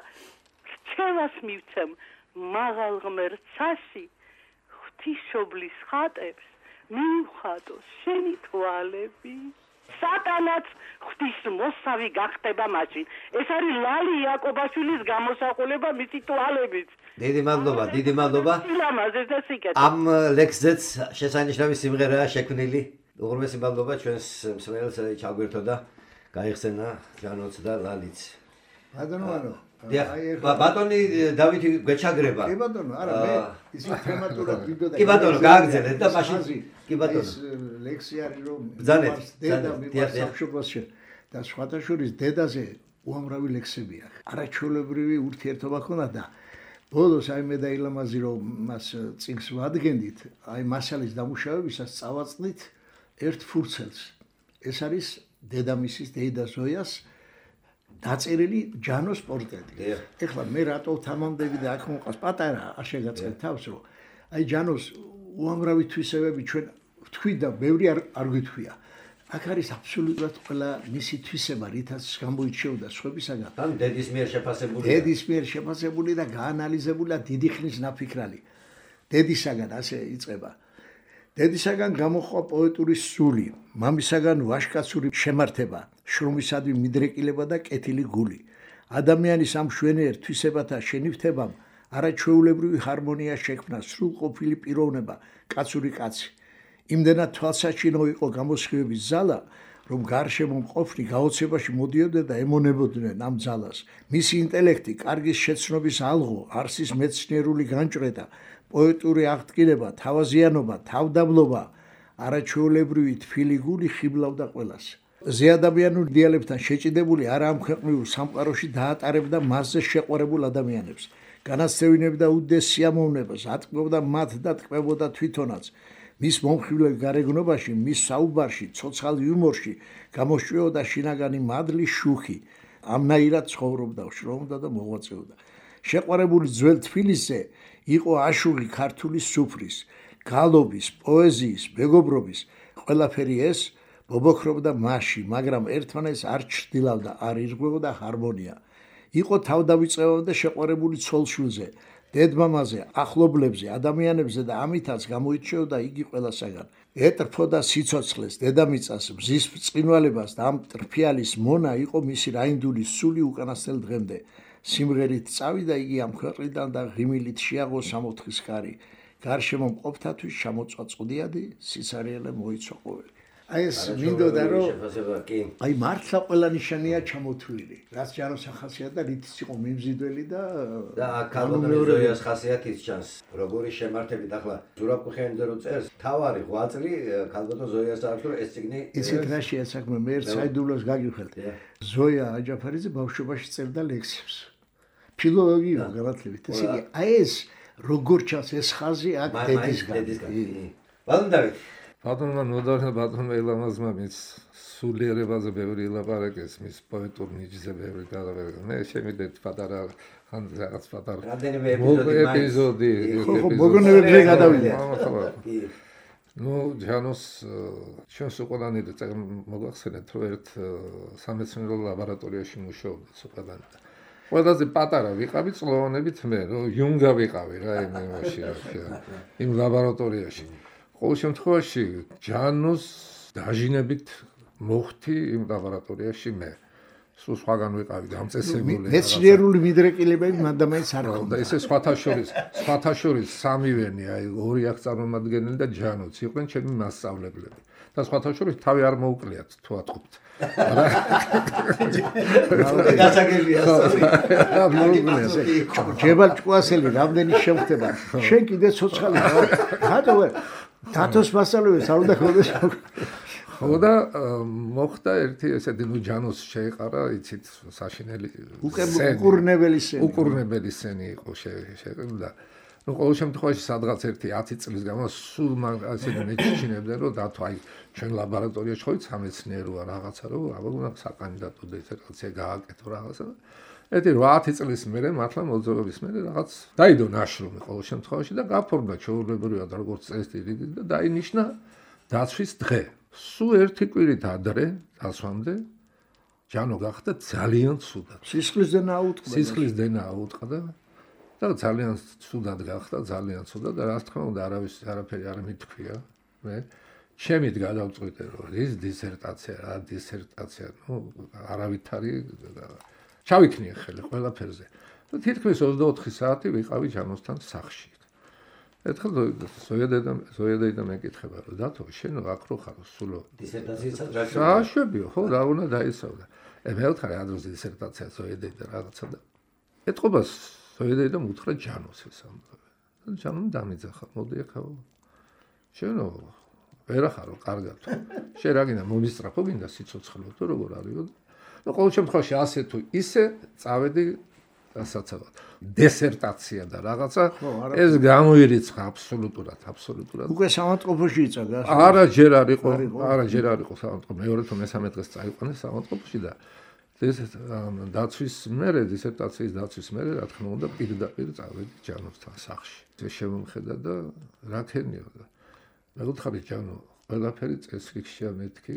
რჩევას მივცემ მაღალ ღმერთსაში ღვთისმშობლის ხატებს მივხატოს შენი თვალები სატანაც ღვთის მოსავი გახდება მაშინ ეს არის ლალი იაკობაშვილის გამოსახულება მისი თვალებით დიდი მადლობა ამ ლექსზეც შესანიშნავი სიმღერაა შექმნილი უღრმესი მადლობა ჩვენს მსმენელს ჩაგვერთო და გაიხსენა ჯანოც და ლალიც ბატონი დავითი გეჩაგრება კი ბატონო არა მე ისი თემატურად ვიდოდა კი ბატონო გააგზავნეთ და მაშინ კი ბატონო ეს ლექსი არის რომ ბრძანეთ დედა მიყვარს სამშობლოში და სხვათა შორის დედაზე უამრავი ლექსები აქვს არაჩვეულებრივი ურთიერთობა ჰქონდა და ბოლოს აი მე და ილამაზი რომ მას წიგნს ვადგენდით აი მასალის დამუშავებისას წავაწყდით ერთ ფურცელს ეს არის დედამისის დეიდა ზოიას დაწერილი ჯანოს პორტრეტი. ეხლა მე რატო თამამდები და აქ მოყავს პატარა არ შეგაწყეთ თავს რომ აი ჯანოს უამრავი თვისებები ჩვენ ვთქვით და ბევრი არ გვითქვია. აქ არის აბსოლუტურად ყველა მისი თვისება რითაც გამოირჩეოდა სხვებისაგან. ან დედის მიერ შეფასებული და გაანალიზებული და დიდი ხნის ნაფიქრალი. დედისაგან ასე იწყება. დედისაგან გამოხვა პოეტური სული, მამისაგან ვაშკაცური შემართება, შრომისადმი მიდრეკილება და კეთილი გული. ადამიანის ამ მშვენიერ თვისებათა შენიფთებამ არაჩვეულებრივი ჰარმონია შექმნა, სრულყოფილი პიროვნება, კაცური კაცი. იმდენად თვალსაჩინო იყო გამოსხივების ძალა, რომ გარშემო მყოფნი გაოცებაში მოდიოდნენ და ემონებოდნენ ამ ძალას. მისი ინტელექტი, კარგის შეცნობის ალღო, არსის მეცნიერული განჭრედა, პოეტური აღდგინება, თავაზიანობა, თავდაბლობა, არაჩვეულებრივი თბილი გული ხიბლავდა ყველას. ზეადამიანურ იდეალებთან შეჭიდებული არაამქვეყნიურ სამყაროში დაატარებდა მასზე შეყვარებულ ადამიანებს. განაცდევინებდა უდიდეს სიამოვნებას, ატკბებდა მათ და ტკბებოდა თვითონაც. მის მომხიბვლელ გარეგნობაში, მის საუბარში, ცოცხალ იუმორში გამოსჭვეოდა შინაგანი მადლი, შუხი. ამნაირად ცხოვრობდა, შრომობდა და მოღვაწეობდა. შეყვარებული ძველ თბილისზე იყო აშუღი ქართული სუფრის, გალობის, პოეზიის, მეგობრობის. ყველაფერი ეს ბობოქრობდა მასში, მაგრამ ერთმანეთს არ ჩრდილავდა, არ ირღვეოდა ჰარმონია. იყო თავდავიწყებამდე შეყვარებული ცოლშვილზე, დედმამაზე, ახლობლებზე, ადამიანებზე და ამითაც გამოირჩეოდა იგი ყველასაგან. ეტრფოდა სიცოცხლეს, დედამიწას, მზის ბრწყინვალებას და ამ ტრფიალის მონა იყო მისი რაინდული სული უკანასკნელ დღემდე. სიმღერით წავიდა იგი ამ ქვეყნიდან და ღიმილით შეაღო სამოთხის ხარი. გარშემო მყოფთათვის ჩამოწვა წუდიადი, სიცარიელე მოიცვა ყოველი. აი ეს მინდოდა რომ აი მართლა ყველა ნიშანია ჩამოთვლილი. რაც ჯანოს ახასიათდა, რითიც იყო მიმზიდველი და კალბატონის ხასიათის ჩანს. როგორი შემართებით ახლა ზურაბ-კუხიანიძე რო წერს, თავარი ღვაწლი კალბატონ ზოიას აქვს, რომ ეს ციგნი ისეთ რაშია საქმე, მე ერთ საიდუმლოს გაგიხელთ. ზოია აჯაფარიძე ბავშვობაში წერდა ლექსებს. ფილოლოგია განათლებით. ესე იგი, აი ეს როგორ ჩანს ეს ხაზი აქ დედისგან. ბატონ დავით ბატონმა ნოდარმა ბატონმა ელამაზმა მის სულიერებაზე ბევრი ელაპარაკეს, მის პოეტურ ნიჭზე ბევრი გადავერდა. მე შემიძლია პატარა ხან რაღაც პატარა რამდენიმე ეპიზოდი მოგონებებზე გადავიდა. ნუ ჯანოს ჩვენს უყალანი და მოგახსენეთ რომ ერთ სამეცნიერო ლაბორატორიაში მუშაობდა უყალანი. ყველაზე პატარა ვიყავი წლოვანებით მე, რომ იუნგა ვიყავი რა იმაში იმ ლაბორატორიაში. ყოველ შემთხვევაში ჯანოს დაჟინებით მოხდი იმ ლაბორატორიაში მე. სულ სხვაგან ვიყავი დამწესებული. მეცნიერული მიდრეკილებები მანდამაინც არ და ესე სხვათა შორის სამივენი, აი ორი აქ წარმომადგენელი და ჯანოც იყვნენ ჩემი მასწავლებლები. და სხვათა შორის თავი არ მოუკლიათ თუ ატყობთ. გასაგებია ჯებალ ჭკუასელი რამდენი შემხდება. შენ კიდე ცოცხალი ხარ. რატო ვერ დათოს მასწავლებელი არ უნდა გქონდეს? ხო და მოხდა ერთი ესეთი ნუ ჯანოს შეეყარა, იცით, საშინელი უკურნებელი სცენი იყო შეეყრა. ნუ ყოველ შემთხვევაში სადღაც ერთი 10 წლის განმავლობაში სულ ასეთი მეჩჩინებდნენ, რომ დათო აი ჩვენ ლაბორატორიაში ხოვით სამეცნიეროა რაღაცა, რომ აბა უნდა საკანდიდატო დისერტაცია გააკეთო რაღაცა. ერთი 8 წლის მერე მართლა მოძრაობის მერე რაღაც დაიდო ნაშრომი ყოველ შემთხვევაში და გაფორმდა ჩვეულებრივად როგორც წესი და დაინიშნა დაცვის დღე. სულ ერთი კვირით ადრე დასვამდე ჯანო გახდა ძალიან ცუდად. სისხლის დენა აუტყდა და ძალიან ცუდად გახდა, ძალიან ცუდად და რა თქმა უნდა არაფერი არ მithქვია. მე ჩემით გადავწყვიტე რომ ის დისერტაცია, ნუ არავითარი ჩავიქნიე ხელი ყველაფერზე. და თითქმის 24 საათი ვიყავი ჯანოსთან სახლში. ერთხელ ზოია მეკითხება რომ დათო შენ აქ რო ხარ სულო დისერტაციასაც საშვებიო ხო რა უნდა დაისწავლა. მე ვთხარი ადროს დისერტაცია ზოია რაღაცა და ეთყობა ზოია მუთხრა ჯანოს ეს ამბავი. და ჯანომ დამიძახა მოდი ახლა შენო ვერა ხარო კარგად. შენ რა გინდა მომისწრაფო გინდა სიცოცხლო თუ როგორ არისო. და ყოველ შემთხვევაში ასე თუ ისე წავედი დასაცავად. დისერტაცია და რაღაცა ეს გამოირიცხა აბსოლუტურად. უკვე სამავთყოფოში იწადა. არა ჯერ არ იყო სამავთყოფო. მეორე თუ მესამე დღეს წაიყვანეს სამავთყოფოში და ეს დაცვის მერე დისერტაციის დაცვის მერე რა თქმა უნდა პირდაპირ წავედი ჯანოსთან სახლში. ეს შემომხედა და რა ქენია და მე ვთხარი ჯანო ყველაფერი წესრიგშია მეთქი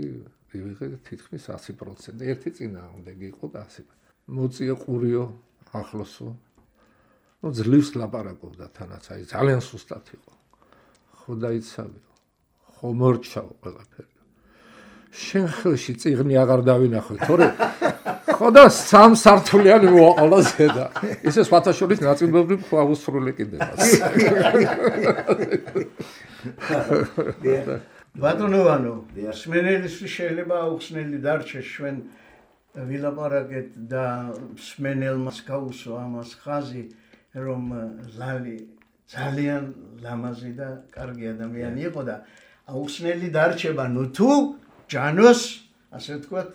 ვიღე თითქმის 100%. ერთი წინააღმდეგი იყო და 100%. მოწია ყურიო ახლოსო. ძლივს ლაპარაკობდა თანაც, აი ძალიან სუსტად იყო. ხო დაიცავიო. ხო მორჩაო ყველაფერი. შენ ხელში წიგნი აღარ დავინახე, თორე ხო და 3 სართულიანი მოაყოლა ზედა. ისე სხვათა შორის ნაწილობრივ ხო აუსრული კიდევაც. ბატონოვანო, სმენელისთვის შეიძლება აუხსნელი დარჩეს ჩვენ ვილაპარაკეთ და სმენელმას გაუსვა ამას ხაზი, რომ ლალი ძალიან ლამაზი და კარგი ადამიანი იყო და აუხსნელი დარჩება, ნუ თუ ჯანოს, ასე ვთქვათ,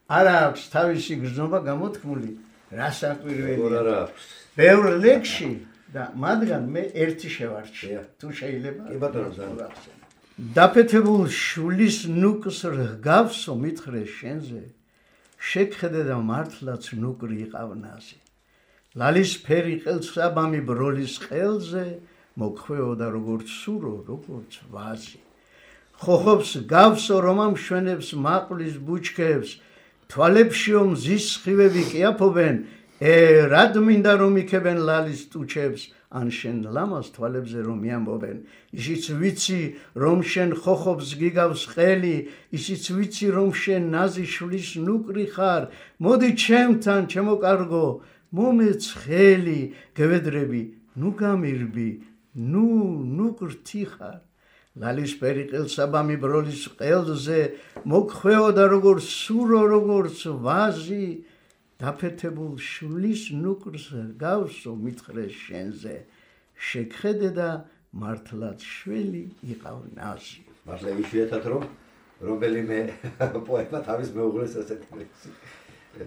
არა აქვს თავისი გრძნობა გამოთქმული, რა საკვირველია. ბევრ ლექსში და მათგან მე ერთი შევარჩიე. თუ შეიძლება. კი ბატონო, ძალიან. დაფეთებულ შულის ნუკს რგავსო მითხრე შენზე, შეგხედე და მართლაც ნუკრი იყავნაზე. ლალის ფერი ყელსაბამი ბროლის ყელზე, მოგხვეო და როგორც სურო, როგორც ვაზი. ხოხობს გავსო რომ ამშვენებს მაყლის ბუჩქებს, თვალებშიო მზის სხივები კი აფობენ, რად მინდა რომ იქებენ ლალის ტუჩებს, ან შენ ლამას თვალებზე რომ მიამბობენ. ისიც ვიცი რომ შენ ხოხობს გიგავს ყელი, ისიც ვიცი რომ შენ ნაზი შვლის ნუკრი ხარ, მოდი ჩემთან ჩემო კარგო, მომეცხელი გევედრები, ნუ გამირბი, ნუ გრთი ხარ. ლალის ფერი ყელსაბამი ბროლის ყელზე, მოგხვეო და როგორც სურო, როგორც ვაზი, დაფეთებულ შulis ნუკრს გავსო მითხრე შენზე, შეგხედე და მართლაც შველი იყავ ნაზი. მართლა იშვიათად რომ რომელიმე პოემა თავის მეუღლეს ასეთი ლექსი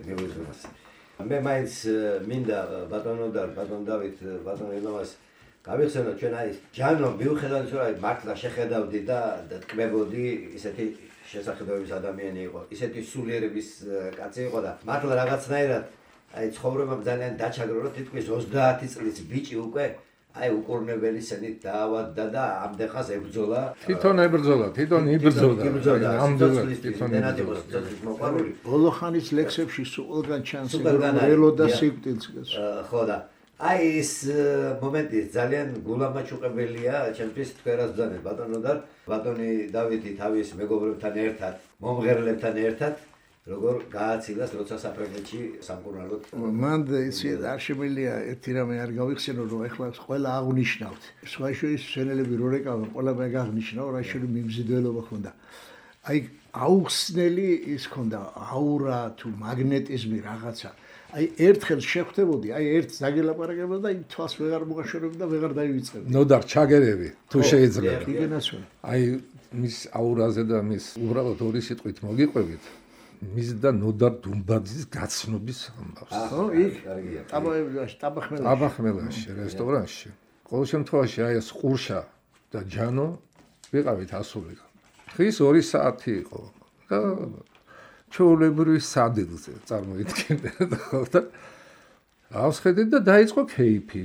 მიუძღვნა. მე მაინც მინდა ბატონო და ბატონ დავით ბატონ ელოვას გავიხსენოთ ჩვენ აი ჯანო მიუხედავად რომ აი მართლა შეხედავდი და თქმებოდი ისეთი შესახედების ადამიანი იყო, ისეთი სულიერების კაცი იყო და მართლა რაღაცნაირად აი ცხოვრებამ ძალიან დაჩაგრო რომ თითქმის 30 წლის ბიჭი უკვე აი უკურნებელი სენით დაავადდა და ამდენხას ებრძოლა. თვითონ ებრძოლა. ამდენად თვითონ მოყარული. ბოლო ხანის ლექსებში სულგან ჩანს ველოდა სიკვდილს. ხო და აი ეს მომენტი ძალიან გულამაჩუყებელია ჩემთვის თქვენას ბრძანეთ ბატონო და ბატონი დავითი თავის მეგობრებთან ერთად, მომღერლებთან ერთად როგორ გააცილას როცა საფრანგეთში სამკურნალოდ. მან ისი არ შემიძლია ერთი რამე არ გავიხსენო რომ ეხლა ყველა აღნიშნავთ. სხვა შორის სენელები რო რეკავენ, ყველა მე აღნიშნავ რა შეიძლება მიმზიდველობა ხონდა. აი აუხსნელი ის ხონდა აურა თუ მაგნეტიზმი რაღაცა. აი ერთხელ შეხვდებოდი, აი ერთ ზაგელაპარაკებდა და იმ თვალს ვეღარ მოგაშორებდი და ვეღარ დაივიწყებდი. ნოდარ ჩაგერები თუ შეიძლება. იგენაცვენ. აი მის აურაზე და მის უბრალოდ ორი სიტყვით მოგიყვებით. მის და ნოდარ დუმბაძის გაცნობის ამბავს. ხო, იქ ტაბახმელაში, რესტორანში. ყოველ შემთხვევაში აი ეს ყურშა და ჯანო ვიყავით ასული. დღის 2 საათი იყო და ჩაოლებრივი სადილზე წარმოიდგინეთ ხო და ავსხედეთ და დაიწყო кейფი.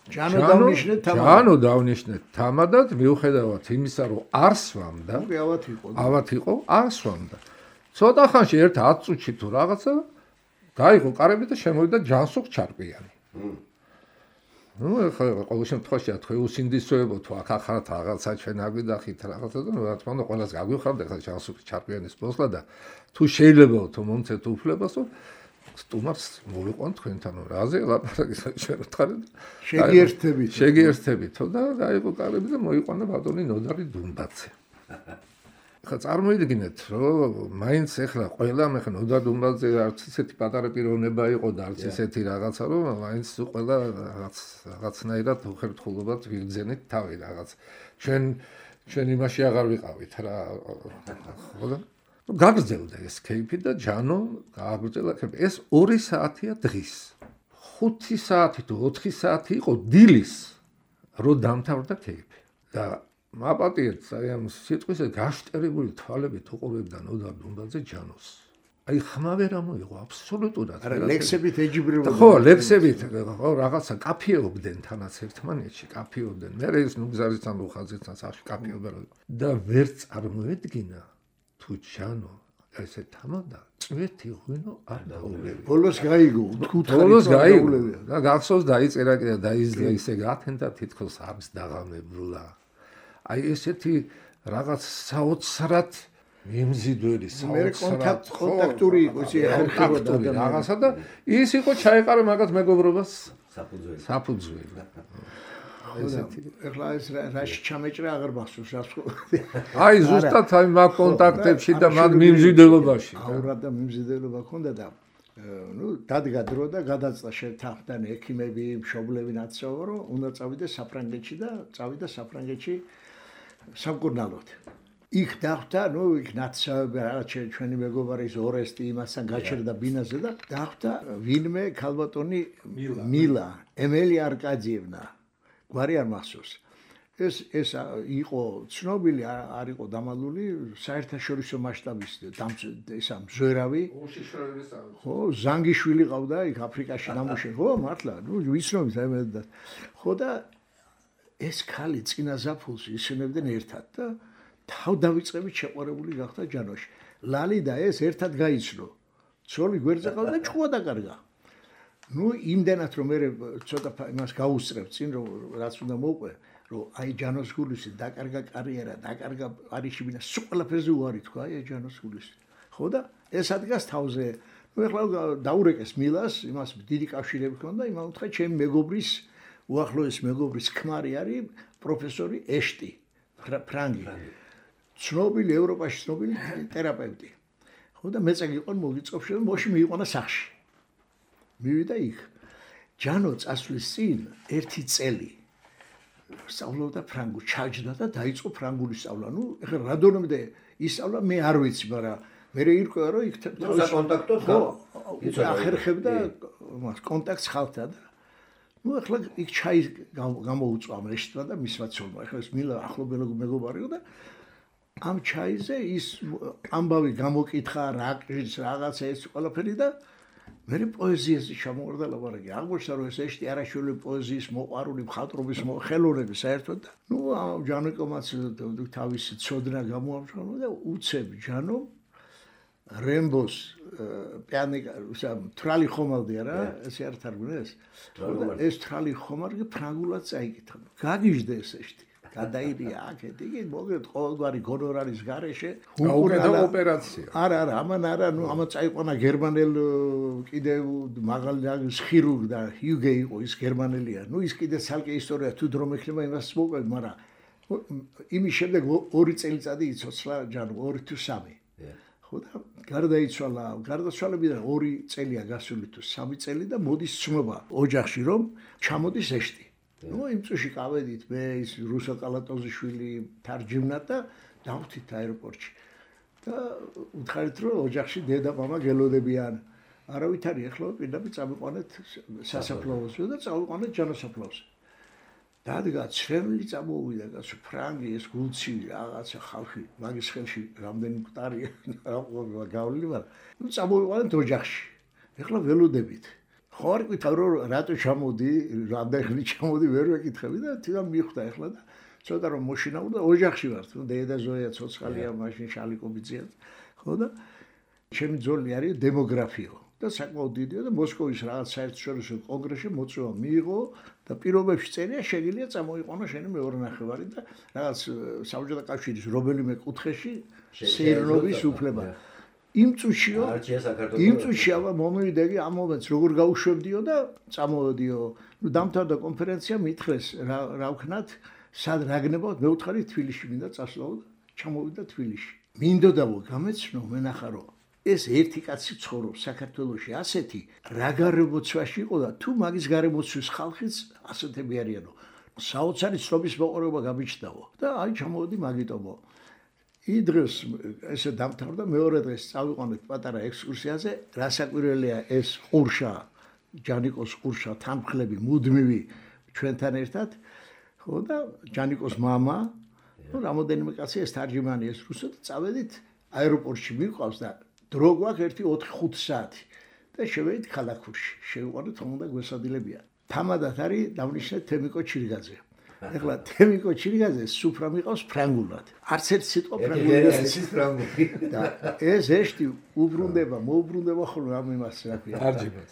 ჯანო დავნიშნეთ თამადად მიუხედავად იმისა რომ არ სვამდა, ავად იყო, არ სვამდა. ცოტა ხანში ერთ 10 წუთში თუ რაღაცა დაიღო კარები და შემოვიდა ჯანსუღ ჩარკვიანი. ნუ ახლა ყოველ შემთხვევაში თქვენ უსინდისოებო თუ აქ ახართ რაღაცა ჩვენ აგვიდახით რაღაცა და რა თქმა უნდა ყველას გაგვიხართ ახლა ჯანსუღ ჩარკვიანის პოსლა და თუ შეიძლება თუ მომცეთ უფლებასო სტუმარს მოვიყვან თქვენთან რაზე ლაპარაკი ჩვენ ვთხარით შეგიერთებით და დაიღო კარები და მოიყვანა ბატონი ნოდარი დუმბაძე. ხა წარმოიდგინეთ რომ მაინც ახლა ყველა მე ხა ნოდარ დუმბაძე არც ისეთი პატარა პიროვნება იყო და არც ისეთი რაღაცა რომ მაინც ყველა რაღაცნაირად უხერხულობად ვიგზენით თავი რაღაც ჩვენ იმაში აღარ ვიყავით რა ხო და გაგრძელდა ეს кейფი და ჯანო გააგრძელა ეს 2 საათია დღის 5 საათი თუ 4 საათი იყო დილის რო დამთავრდა кейფი და მაპატიეთ აი ამ სიტყვისა გაშტერებული თვალებით უყურებდა ნოდარ დუმბაძე ჯანოს. აი ხმა ვერ ამოიღო აბსოლუტურად. არა ლექსებით ეჯიბრებოდა. ხო, ლექსებით ხო რაღაცა კაფეობდნენ თანაც ერთმანეთში, კაფეობდნენ. მე ეს ნუგზარისთან უხაზისთან სახში კაფეობდნენ და ვერ წარმოედგინა თუ ჯანო ესე თამადა წვეთი ღვინო არ დაულევია. ბოლოს გაიგო, ბოლოს გაიგო და გახსოვს დაიწერა კიდე და ისე გათენდა თითქოს აბს დაღამებულა. აი ესეთი რაღაც საოცრად მიმზიდველი, საოცრად კონტაქტური იყო, კონტაქტური რაღაცა და ის იყო ჩაეყარა მაგათ მეგობრობას საფუძველი. ეხლა ეს რაში ჩამეჭრა აღარ მახსოვს რას აი ზუსტად აი მაგ კონტაქტებში და მაგ მიმზიდველობაში აურა და მიმზიდველობა ქონდა და დადგა დრო და გადაწდა შეთანხმდა ექიმები, მშობლები ნაცნობო რომ უნდა წავიდე საფრანგეთში და წავიდა საფრანგეთში სამკურნალოდ. იქ დახვდა, იქ ნაცნობები რაღაც ჩვენი მეგობარის ორესტი იმასთან გაჩერდა ბინაზე და დახვდა ვინმე ქალბატონი მილა, ემელი არკადიევნა. გვარი არ მახსოვს. ეს იყო ცნობილი, არ იყო დამალული საერთაშორისო მასშტაბის ესა მზვერავი. ხო, ზანგიშვილი ყავდა იქ აფრიკაში ნამუშევარი. ხო, მართლა, ვიცნობთ ამერდა. ხო და ეს ქალი წინა ზაფხულს ისვენებდნენ ერთად და თავდავიწყებით შეყვარებული გახდა ჯანოში. ლალი და ეს ერთად გაიცნო. ცოლი გვერდზე ყავდა და ჭკუა დაკარგა. იმდენად რომ მე ცოტა იმას გაუსწრებ წინ რომ რაც უნდა მოვყვე რომ აი ჯანოს გულისი დაკარგა კარიერა, დაკარგა პარიში, სულ ყველაფერზე უარი თქვა აი ჯანოს გულისი. ხო და ეს ადგას თავზე. ეხლა დაურეკეს მილას, იმას დიდი კავშირები ჰქონდა, იმან უთხრა ჩემი მეგობრის, უახლოესი მეგობრის ქმარი არის პროფესორი ეშტი, ფრანგი. ცნობილი ევროპაში ცნობილი თერაპევტი. ხო და მეც გიყონ მოგიწყობს რომ მოში მიიყვანა სახში. მივიდა იქ. ჯანო წასვლის წინ ერთი წელი სწავლობდა ფრანგულ, ჩაჯდა და დაიწყო ფრანგული სწავლა. ეხლა რადონემდე ისწავლა მე არ ვიცი, მაგრამ მე ირკვევა რომ იქ საკონტაქტო ახერხებდა მას კონტაქტს ხალხთან და ეხლა იქ ჩაი გამოუწვა მეშტვა და მისმა ცოლმა. ეხლა ეს მილა ახლობელი მეგობარიო და ამ ჩაიზე ის ამბავი გამოკითხა რაკის რაღაცა ეს ყველაფერი და მე პოეზიაზე ჩამოვარდა ლაპარაკი. აღმოჩნდა რომ ეს ეშტი არაშვილი პოეზიის მოყვარული, მხატვრობის ხელოვნების საერთოდ და ჯანიკომაც თავისი ცოდნა გამოამშვენებლა და უცებ ჯანო რემბოს პიანიკა თრალი ხომალდი არა ეს არ თარგმნეს ეს თრალი ხომალდი ფრანგულად წაიკითხა. გაგიჟდა ეს ეშტი. გადაირია აქეთ იგი მოგეთ ყოველგვარი გონორარის გარეშე უკედა ოპერაცია. არა, ამან არა, ამან წაიყვანა გერმანელ კიდევ მაღალი ხირურგ და ჰიუგე იყო ის გერმანელია. ის კიდე ცალკე ისტორია თუ დრო მექნება იმას მოვყვეთ, მაგრამ იმის შემდეგ 2 წელიწადი იცოცხლა ჯანო 2 თუ 3. ხო და გარდაიცვალა, გარდაცვალებიდან 2 წელია გასული თუ 3 წელი და მოდის ცნობა ოჯახში რომ ჩამოდის ეშტი. იმ წუთში გავედით მე ის რუსო კალატოზიშვილი თარჯიმნა და დავთით აეროპორტში და უთხარით რომ ოჯახში დედა მამა გელოდებიან არავით არის ეხლა პირდაპირ წამიყვანეთ სასაფლაოზე და წავიყვანეთ ჯანოსაფლაოზე დადგა ცრემლი წამოვიდა კაცო ფრანგი ეს გულცივი რაღაცა ხალხი მაგის ხელში რამდენი მკვდარია გავლილი მაგრამ წამოვიყვანეთ ოჯახში ეხლა ველოდებით ხო არ გითხრა რომ რატო ჩამოდი, რამდენი ხნით ჩამოდი, ვერ ვეკითხები და თვითონ მიხვდა ეხლა და ცოტა რომ მოშინაურ და ოჯახში ვარ, თუ დედა ზოია ცოცხალია, მაშინ შალიკობიძია. ხო და ჩემი ძოლი არის დემოგრაფიო და საკმაოდ დიდია და მოსკოვის რაღაც საერთაშორისო კონგრესში მოწვევა მიიღო და პირობებში წერია შეგიძლია წამოიყვანო შენი მეორე ნახევარი და რაღაც საბჭოთა კავშირის რომელიმე კუთხეში სეირნობის უფლება. იმ წუთში ამა მომივიდეგი ამ მომენტს როგორ გაუშვებდიო და წამოვედიო. დამთავრდა კონფერენცია, მითხრეს რა ვქნათ, სად რაგნებავთ, მე ვთხარი თბილისში მინდა წასვლაო და ჩამოვიდა თბილისში. მინდოდაო გამეცნო მენახარო. ეს ერთი კაცი ცხოვრობს საქართველოში ასეთი რა გარემოცვაში იყო და თუ მაგის გარემოცვის ხალხიც ასეთები არიანო. საოცარი ცნობის მოყოლება გამიჩნდაო და აი ჩამოვედი მაგიტომო. იდროს ესე დამთავრდა მეორე დღეს წავიყვანეთ პატარა ექსკურსიაზე რასაკვირველია ეს ყურშა ჯანიკოს ყურშა თანმხლები მუდმივი ჩვენთან ერთად ხო და ჯანიკოს мама რამოდენიმე კაცი ეს თარჯიმანი ეს რუსად წავედით აეროპორტში მიყვავს და დრო გვაქვს 1-4-5 საათი და შევედით ქალაქურში შევიყვანოთ რომ უნდა გვესადილებიან თამადად არის დავნიშნეთ თემიკო ჩირგაძე ეხლა თემიკო ჩირგაძე სუფრა მიყავს ფრანგულად. არც ერთ სიტყვა ფრანგული. და ეს ეშტი მოუბრუნდება ხოლმე ამ იმას რა ქვია. არჯიბას.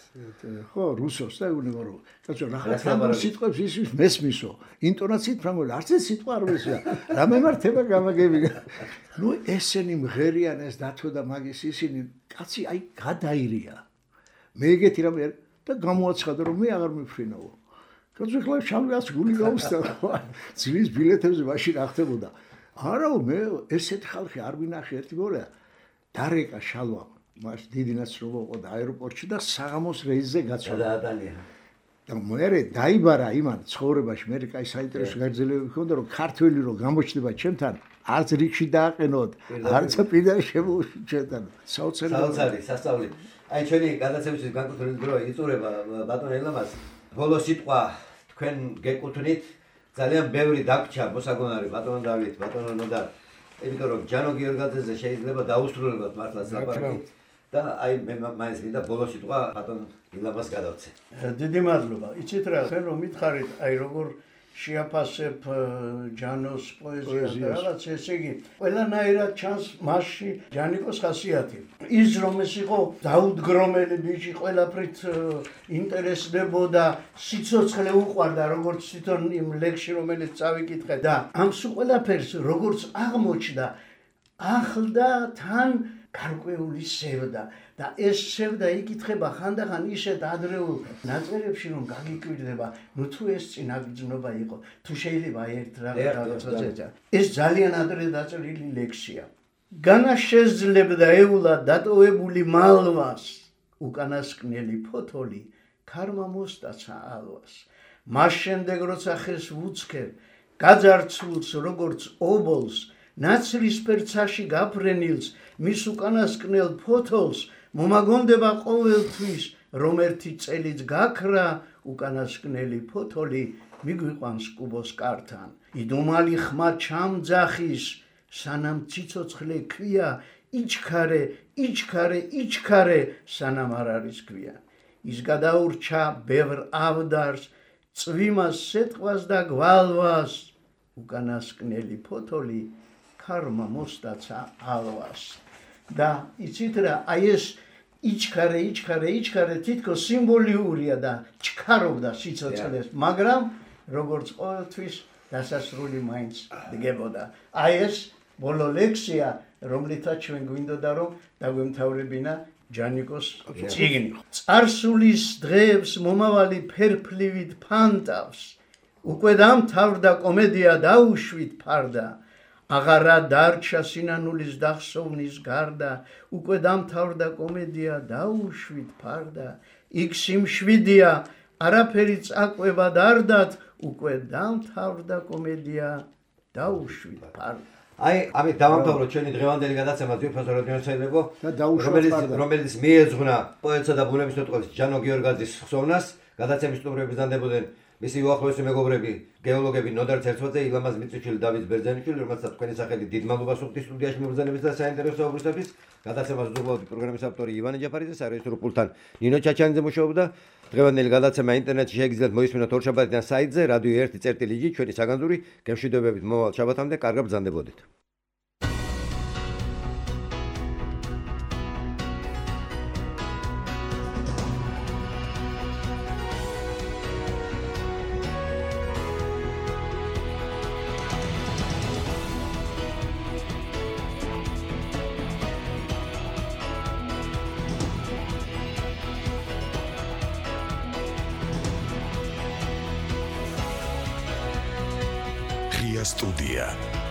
ხო, რუსოს და უნებო რომ. კაცო, რა ფრანგულ სიტყვებს ის მესმისო. ინტონაციით ფრანგული, არც ერთ სიტყვა არ მესმის. რა მემართება გამაგები. ნუ ესენი მღერიან ეს დათო და მაგის ისინი კაცი აი გადაირია. მე ეგეთი რამე და გამოაცხადა რომ მე აღარ მიფრინაო. კაცო ხლა შავლას გული გავუსთა. ძვის ბილეთებზე მაშინ რა ხდებოდა. არაო მე ესეთი ხალხი არ ვინახე ერთი გორა. დარეკა შალვა მას დიდი ნაცრობა იყო და აეროპორტში და საღამოს რეისზე გაწვდა. და მე დაიბარა იმან ცხოვრებაში მე კაი საინტერესო გაგრძელებები ჰქონდა რომ ქართველი რო გამოჩნდება ჩემთან არც რიგში დააყენოთ არც პირდაპირ შემოუჩენთან საოცარი სასწაული აი ჩვენი გადაცემის განკუთვნილი დრო იწურება ბატონ ელამას ბოლო სიტყვა თქვენ გეკუთვნით ძალიან ბევრი დაგჭა მოსაგონარი ბატონ დავით ბატონ ნოდარ იმიტომ რომ ჯანო გიორგაძეზე შეიძლება დაუსრულებად მართლაც ლაპარაკი და აი მე მაინც მინდა ბოლო სიტყვა ბატონ ილამას გადავცე. დიდი მადლობა. იცით რა, ხენ რომ მითხარით, აი როგორ შეაფასებ ჯანოს პოეზიას და რაღაც ესე იგი, ყველანაირად ჩანს მასში ჯანიკოს ხასიათი. ის რომ ეს იყო დაუდგრომელი ბიჭი, ყველაფრით ინტერესდებოდა, სიცოცხლე უყვარდა, როგორც თვითონ იმ ლექსში რომელიც წავიკითხე და ამ სულ ყველაფერს როგორც აღმოჩნდა, ახლდა თან გარკვეული სევდა და ეს სევდა იკითხება ხანდახან ისეთ ადრეულ ნაწერებში რომ გაგიკვირდება ნუ თუ ეს წინაგრძნობა იყო თუ შეიძლება ერთ რაღაცა ეს ძალიან ადრე დაწერილი ლექსია განა შეძლებდა ეულა დატოვებული მალვას უკანასკნელი ფოთოლი ქარმა მოსტაცა ალვას მას შემდეგ როცა ხეს ვუცქებ გაძარცულს როგორც ობოლს ნაცრისფერცაში გაფრენილს მის უკანასკნელ ფოთოლს მომაგონდება ყოველთვის რომ ერთი წელიც გაქრა უკანასკნელი ფოთოლი მიგვიყვანს კუბოს კართან იდუმალი ხმა ჩამძახის სანამ ციცოცხლე ქვია იჩქარე სანამ არ არის ქვია ის გადაურჩა ბევრ ავდარს წვიმას სეტყვას და გვალვას უკანასკნელი ფოთოლი ქარმა მოსტაცა ალვას და იცით რა აი ეს იჩქარე თითქოს სიმბოლურია და ჩქარობდა სიცოცხლეს მაგრამ როგორც ყოველთვის დასასრული მაინც დგებოდა აი ეს ბოლო ლექსია რომლითაც ჩვენ გვინდოდა რომ დაგვემთავრებინა ჯანიკოს წიგნი წარსულის დღეებს მომავალი ფერფლივით ფანტავს უკვე დამთავრდა კომედია დაუშვით ფარდა აღარა დარჩა სინანულის დახსოვნის გარდა უკვე დამთავრდა კომედია დაუშვით ფარდა იქ სიმშვიდეა არაფერი წაკვება დარდათ უკვე დამთავრდა კომედია დაუშვით ფარდა აი ამით დავამთავროთ ჩვენი დღევანდელი გადაცემა ძვირფასო რადიოსაირებო რომელიც მიეძღვნა პოეტსა და ბუნებისმეტყველის ჯანო გიორგაძის ხსოვნას გადაცემის სტუმრები ბრძანდებოდნენ მისი უახლოესი მეგობრები გეოლოგები ნოდარ ცერცვაძე ილამაზ მიწვიშვილი დავით ბერძენიშვილი რომელსაც თქვენი სახელით დიდ მადლობას ვუხდით სტუდიაში მობრძანების და საინტერესო უბრალოდ გადაცემას უზრუნველყოფი პროგრამის ავტორი ივანე ჯაფარიძე სარეჟისორო პულტთან ნინო ჩაჩანიძე მუშაობდა დღევანდელი გადაცემა ინტერნეტში შეგიძლიათ მოისმინოთ ორ შაბათიდან საიტზე რადიო 1.ი ჩვენი საგანძური გემშვიდობებით მომავალ შაბათამდე კარგად ბრძანდებოდეთ Студия.